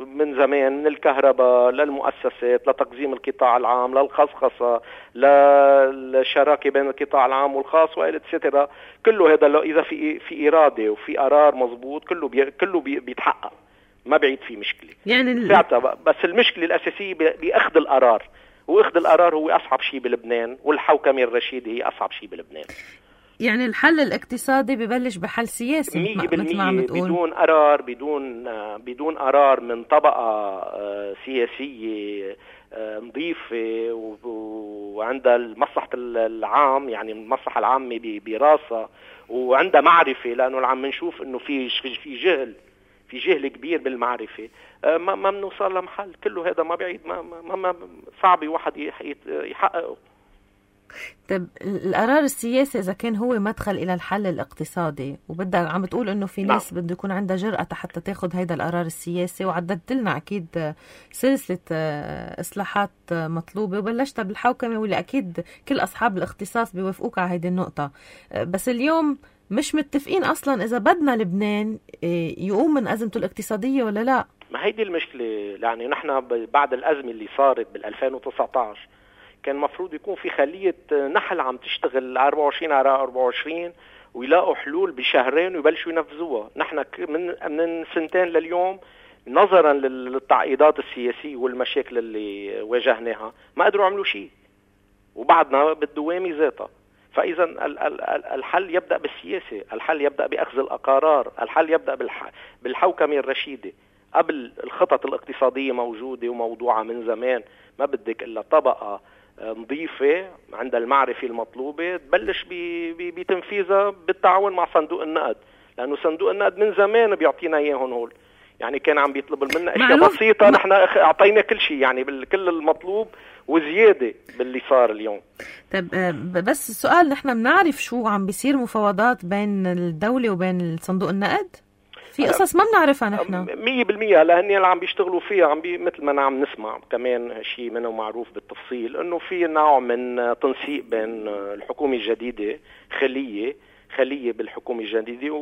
من زمان، من الكهرباء للمؤسسات لتقزيم القطاع العام للخصخصة للشراكة بين القطاع العام والخاص وإتسترا. كله هذا إذا في إرادة وفي قرار مزبوط كله بيتحقق، ما بعيد في مشكلة يعني بس المشكلة الأساسية بأخذ القرار، وأخذ القرار هو أصعب شيء بلبنان، والحوكمة الرشيدة هي أصعب شيء بلبنان. يعني الحل الاقتصادي ببلش بحل سياسي 100% بدون قرار، بدون قرار من طبقة سياسية نظيفة وعندها المصلحة العام، يعني المصلحة العامة براسها، وعندها معرفة، لأنه عم نشوف إنه في جهل كبير بالمعرفة. ما بنوصل لمحل. كله هذا ما بعيد، ما صعب واحد يحققه. طب القرار السياسي إذا كان هو مدخل إلى الحل الاقتصادي، وبدك عم بتقول إنه في ناس بده يكون عندها جرأة حتى تاخد هيدا القرار السياسي، وعددت لنا أكيد سلسلة إصلاحات مطلوبة وبلشتها بالحوكمة، واللي أكيد كل أصحاب الاختصاص بيوافقوك على هيدي النقطة. بس اليوم مش متفقين أصلا إذا بدنا لبنان يقوم من أزمته الاقتصادية ولا لا. ما هيدي المشكلة. يعني نحن بعد الأزمة اللي صارت بال2019 كان مفروض يكون في خلية نحل عم تشتغل 24 على 24 ويلاقوا حلول بشهرين ويبلشوا ينفذوها. نحن من سنتين لليوم نظرا للتعقيدات السياسية والمشاكل اللي واجهناها ما قدروا يعملوا شيء، وبعدنا بالدوامة ذاتها. فإذا الحل يبدأ بالسياسة، الحل يبدأ بأخذ القرار، الحل يبدأ بالحوكمة الرشيدة. قبل الخطط الاقتصادية موجودة وموضوعة من زمان، ما بدك إلا طبقة نظيفة عند المعرفة المطلوبة تبلش بتنفيذها بالتعاون مع صندوق النقد، لأنه صندوق النقد من زمان بيعطينا إياهم هول. يعني كان عم بيطلب منا اشياء بسيطة، نحن اعطينا كل شيء، يعني كل المطلوب وزيادة باللي صار اليوم. طيب بس السؤال، نحن بنعرف شو عم بيصير مفاوضات بين الدولة وبين صندوق النقد؟ في قصص ما بنعرفها نحن 100%. لأن اللي عم بيشتغلوا فيها مثل ما عم نسمع كمان شيء منه معروف بالتفصيل، انه في نوع من تنسيق بين الحكومة الجديدة، خلية بالحكومة الجديدة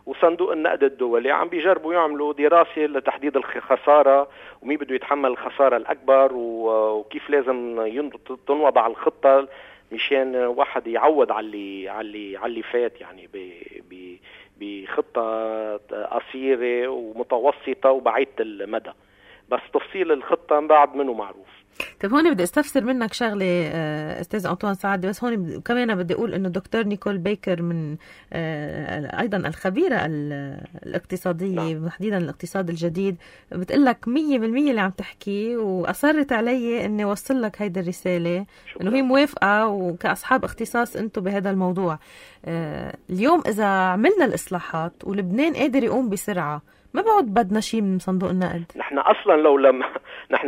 وصندوق النقد الدولي، عم بيجربوا يعملوا دراسة لتحديد الخسارة ومين بده يتحمل الخسارة الأكبر وكيف لازم تنوضع الخطة مشان واحد يعوض على اللي فات، يعني بخطة قصيرة ومتوسطة وبعيدة المدى. بس تفصيل الخطة بعد منه معروف. طيب هون بدي استفسر منك شغله استاذ أنطوان سعد، بس هون كمان بدي اقول انه الدكتور نيكول بيكر من ايضا الخبيره الاقتصاديه تحديدا الاقتصاد الجديد بتقول لك 100% اللي عم تحكيه، واصرت علي اني اوصل لك هيدي الرساله انه هي موافقه، وكاصحاب اختصاص انتم بهذا الموضوع. اليوم اذا عملنا الاصلاحات ولبنان قادر يقوم بسرعه، ما بعد بدنا شيء من صندوق النقد. نحن اصلا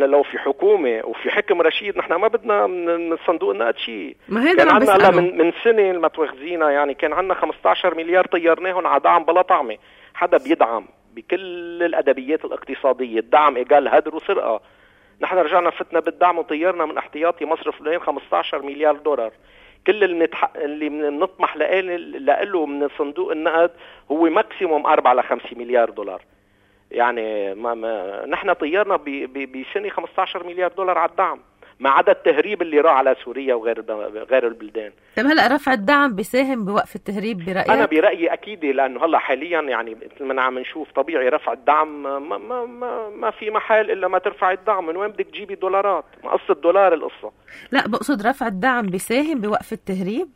لو في حكومه وفي حكم رشيد، نحن ما بدنا من صندوق النقد شيء. كان عندنا من سنه ما تواخذينا، يعني كان عندنا 15 مليار طيرناهم على دعم بلا طعمه. حدا بيدعم بكل الادبيات الاقتصاديه، الدعم ايجال هدر وسرقه. نحن رجعنا فتنا بالدعم وطيرنا من احتياطي مصرف لين 15 مليار دولار. كل اللي بنطمح له من صندوق النقد هو ماكسيموم 4 ل 5 مليار دولار. يعني نحن طيرنا بسنة 15 مليار دولار على الدعم، ما عدا التهريب اللي راح على سوريا وغير البلدان. طيب هلا رفع الدعم بيساهم بوقف التهريب برأيك؟ أنا برأيي أكيد، لأنه هلا حاليا يعني مثل ما عم نشوف طبيعي رفع الدعم ما في محل إلا ما ترفع الدعم. من وين بدك تجيبي دولارات؟ ما قصة دولار القصة. لا بقصد رفع الدعم بيساهم بوقف التهريب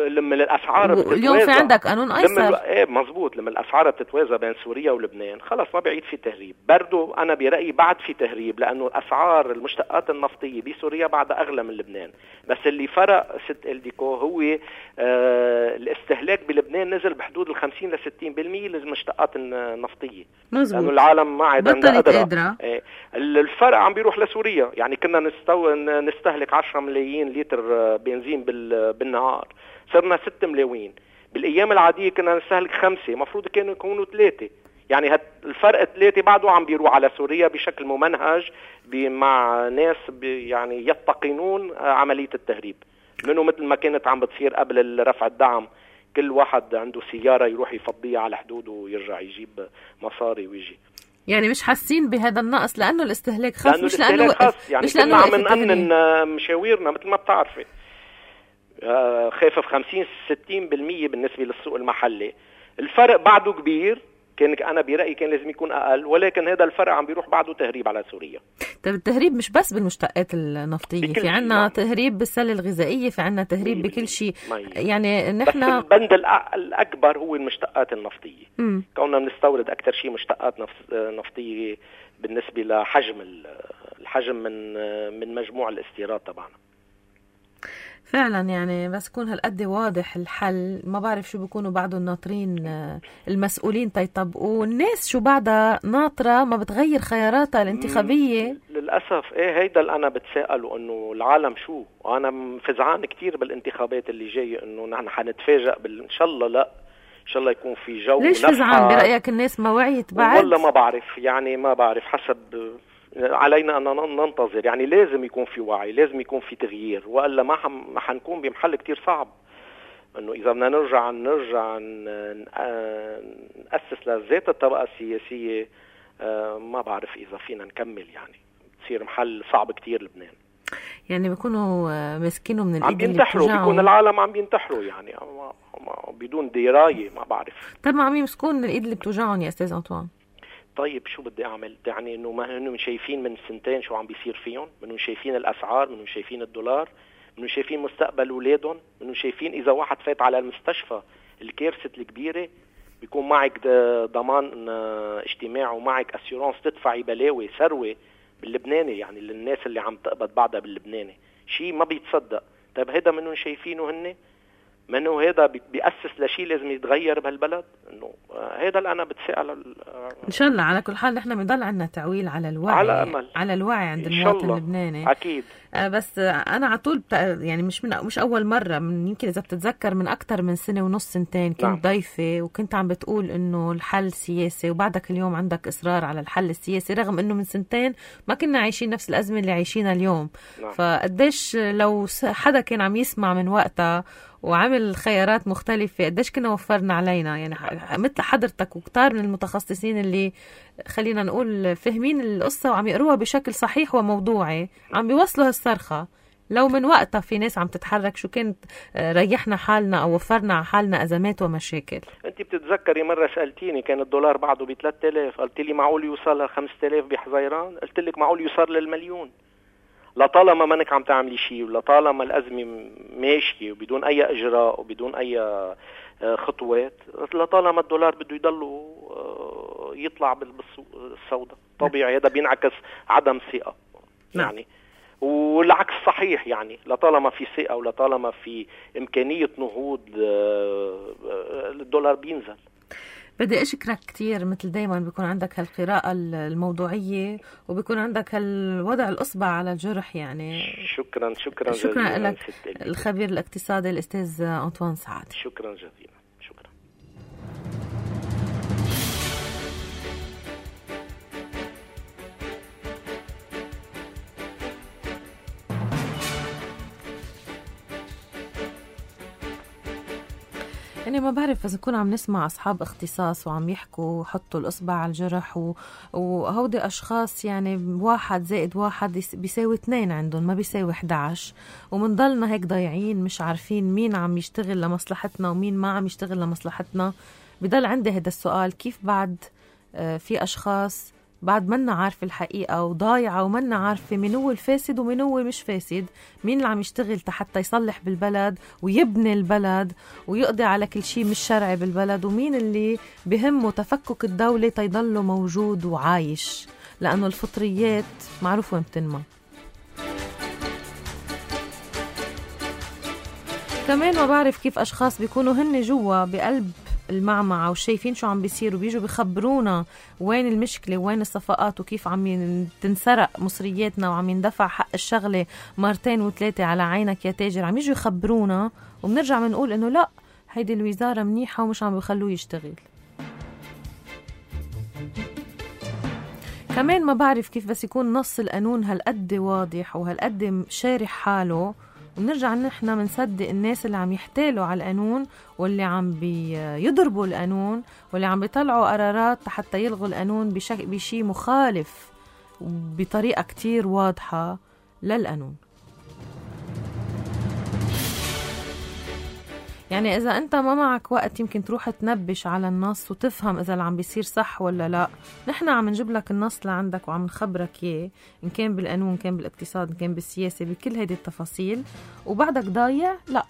لما الأسعار اليوم في عندك قانون أيسر. مزبوط. لما الأسعار بتتوازى بين سوريا ولبنان خلص ما بعيد في تهريب. برضو أنا برأيي بعد في تهريب، لأنه أسعار المشتقات النفطية بسوريا بعد أغلى من لبنان. بس اللي فرق ست إلديكو هو الاستهلاك بلبنان نزل بحدود 50 ل 60% للمشتقات النفطية. مزبوط. لأنه العالم ما عاد قادرة. الفرق عم بيروح لسوريا. يعني كنا نستهلك 10 ملايين لتر بنزين بالنهار، صرنا 6 ملايين. بالأيام العادية كنا نستهلك 5، مفروض كانوا يكونوا 3. يعني الفرق 3 بعده عم بيروح على سوريا بشكل ممنهج مع ناس يعني يتقنون عملية التهريب. منه مثل ما كانت عم بتصير قبل رفع الدعم، كل واحد عنده سيارة يروح يفضيها على حدود ويرجع يجيب مصاري ويجي. يعني مش حاسين بهذا النقص لأنه الاستهلاك خاص، مش لأنه وقف. يعني كنا عم نأمن مشاويرنا مثل ما بتعرفي. خافف 50-60% بالنسبة للسوق المحلي. الفرق بعده كبير. أنا برأيي كان لازم يكون أقل، ولكن هذا الفرق عم بيروح بعده تهريب على سوريا. طيب التهريب مش بس بالمشتقات النفطية، في عنا تهريب بالسلة الغذائية، في عنا تهريب بكل شيء. يعني نحن بس البند الأكبر هو المشتقات النفطية. كوننا بنستورد أكثر شيء مشتقات نفطية بالنسبة الحجم من مجموع الاستيراد تبعنا. فعلا يعني بس يكون هالقد واضح الحل، ما بعرف شو بيكونوا بعدهم ناطرين المسؤولين تيطبقوا، الناس شو بعدها ناطرة ما بتغير خياراتها الانتخابية. للأسف هيدا اللي أنا بتساءله، إنه العالم شو. وأنا فزعان كتير بالانتخابات اللي جاية، إنه نحن حنتفاجأ إن شاء الله. لا إن شاء الله يكون في جو. ليش فزعان برأيك؟ الناس ما وعيت بعد؟ والله ما بعرف، يعني ما بعرف. حسب علينا أن ننتظر. يعني لازم يكون في وعي، لازم يكون في تغيير، وإلا ما حنكون بمحل كتير صعب. إنه إذا بدنا نرجع نأسس لذات الطبقة السياسية، ما بعرف إذا فينا نكمل. يعني تصير محل صعب كتير لبنان. يعني بيكونوا ماسكينه من الإيد اللي بينتحروا، بيكون العالم عم بينتحروا يعني بدون دراية. ما بعرف. طب ما عم يمسكون من الإيد اللي بتوجعهم يا أستاذ أنطوان؟ طيب شو بدي أعمل؟ يعني إنه ما هنهم شايفين من سنتين شو عم بيصير فيهم، منهم شايفين الأسعار، منهم شايفين الدولار، منهم شايفين مستقبل أولادهم، منهم شايفين إذا واحد فات على المستشفى الكارثة الكبيرة بيكون معك ضمان اجتماعي ومعك أسيورانس تدفعي بلاوي ثروة باللبناني، يعني للناس اللي عم تقبض بعدها باللبناني، شيء ما بيتصدق. طيب هذا منهم شايفينه هن، منه هذا بيأسس لشيء لازم يتغير بهالبلد؟ انه هذا اللي انا بتساءل. ان شاء الله على كل حال نحن بنضل عندنا تعويل على الوعي، على أمل. على الوعي عند المواطن اللبناني اكيد. بس انا على طول يعني مش اول مره، من يمكن اذا بتتذكر من اكثر من سنه ونص سنتين كنت ضيفه وكنت عم بتقول انه الحل سياسي، وبعدك اليوم عندك اصرار على الحل السياسي رغم انه من سنتين ما كنا عايشين نفس الازمه اللي عايشينها اليوم. فقديش لو حدا كان عم يسمع من وقتها وعمل خيارات مختلفة قديش كنا وفرنا علينا، يعني مثل حضرتك وكتار من المتخصصين اللي خلينا نقول فهمين القصة وعم يقروها بشكل صحيح وموضوعي، عم بيوصلوا هالصرخة. لو من وقتها في ناس عم تتحرك شو كنت ريحنا حالنا أو وفرنا على حالنا أزمات ومشاكل. أنت بتتذكري مرة سألتيني كان الدولار بعده ب3000، قلت لي معقول يوصل ل5000 بحزيران؟ قلت لك معقول يوصل للمليون. لطالما ما انك عم تعملي شيء، ولطالما الأزمة ماشية وبدون أي إجراء وبدون أي خطوات، لطالما الدولار بده يضل يطلع بالسوق السوداء طبيعي. هذا بينعكس عدم ثقة يعني، والعكس صحيح يعني. لطالما في ثقة ولطالما في إمكانية نهوض الدولار بينزل. بدي أشكرك كتير، مثل دايما بيكون عندك هالقراءة الموضوعية وبيكون عندك هالوضع الأصبع على الجرح يعني. شكرا لك الخبير الاقتصادي الأستاذ أنطوان سعد. شكرا جزيلا. شكرا. يعني ما بعرف إذا كنا عم نسمع أصحاب اختصاص وعم يحكوا حطوا الإصبع على الجرح وهودي أشخاص يعني 1 زائد 1 بيساوي 2 عندهم، ما بيساوي 11، ومنضلنا هيك ضايعين مش عارفين مين عم يشتغل لمصلحتنا ومين ما عم يشتغل لمصلحتنا. بضل عندي هذا السؤال، كيف بعد في أشخاص بعد منا عارفة الحقيقة وضايعة ومنا عارفة مين هو الفاسد ومين هو مش فاسد، مين اللي عم يشتغل حتى يصلح بالبلد ويبني البلد ويقضي على كل شيء مش شرعي بالبلد، ومين اللي بهمه تفكك الدولة تيضله موجود وعايش، لأنه الفطريات معروف وين بتنمى. كمان ما بعرف كيف أشخاص بيكونوا هن جوا بقلب المعمعة وشايفين شو عم بيصير وبيجوا بيخبرونا وين المشكلة وين الصفقات وكيف عم تنسرق مصرياتنا وعم يندفع حق الشغلة 2 و3 على عينك يا تاجر. عم يجوا يخبرونا وبنرجع بنقول إنه لا هيدي الوزارة منيحة ومش عم بيخلوه يشتغل. كمان ما بعرف كيف بس يكون نص القانون هالقد واضح وهالقد شارح حاله ونرجع نحن منصدق الناس اللي عم يحتالوا على القانون واللي عم بيضربوا القانون واللي عم بيطلعوا قرارات حتى يلغوا القانون بشي مخالف بطريقة كتير واضحة للقانون. يعني إذا أنت ما معك وقت يمكن تروح تنبش على النص وتفهم إذا اللي عم بيصير صح ولا لا، نحن عم نجيب لك النص لعندك وعم نخبرك إياه، إن كان بالقانون إن كان بالاقتصاد إن كان بالسياسة بكل هيدي التفاصيل، وبعدك ضايع. لا،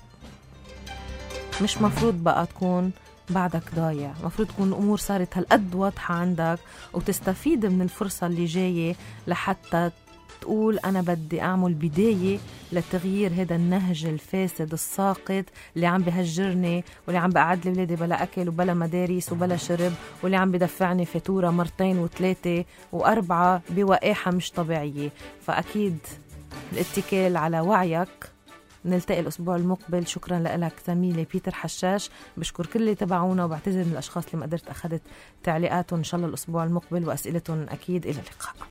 مش مفروض بقى تكون بعدك ضايع، مفروض تكون الأمور صارت هالقد واضحة عندك وتستفيد من الفرصة اللي جاية لحتى تقول أنا بدي أعمل بداية لتغيير هذا النهج الفاسد الساقط اللي عم بهجرني واللي عم بقعد لي ولادي بلا أكل وبلا مدارس وبلا شرب، واللي عم بدفعني فاتورة 2 و3 و4 بوقاحة مش طبيعية. فأكيد الاتكال على وعيك. نلتقي الأسبوع المقبل. شكرا لك زميلي بيتر حشاش، بشكر كل اللي تبعونا وبعتذر من الأشخاص اللي ما قدرت أخذت تعليقاتهم. إن شاء الله الأسبوع المقبل وأسئلتهم أكيد. إلى اللقاء.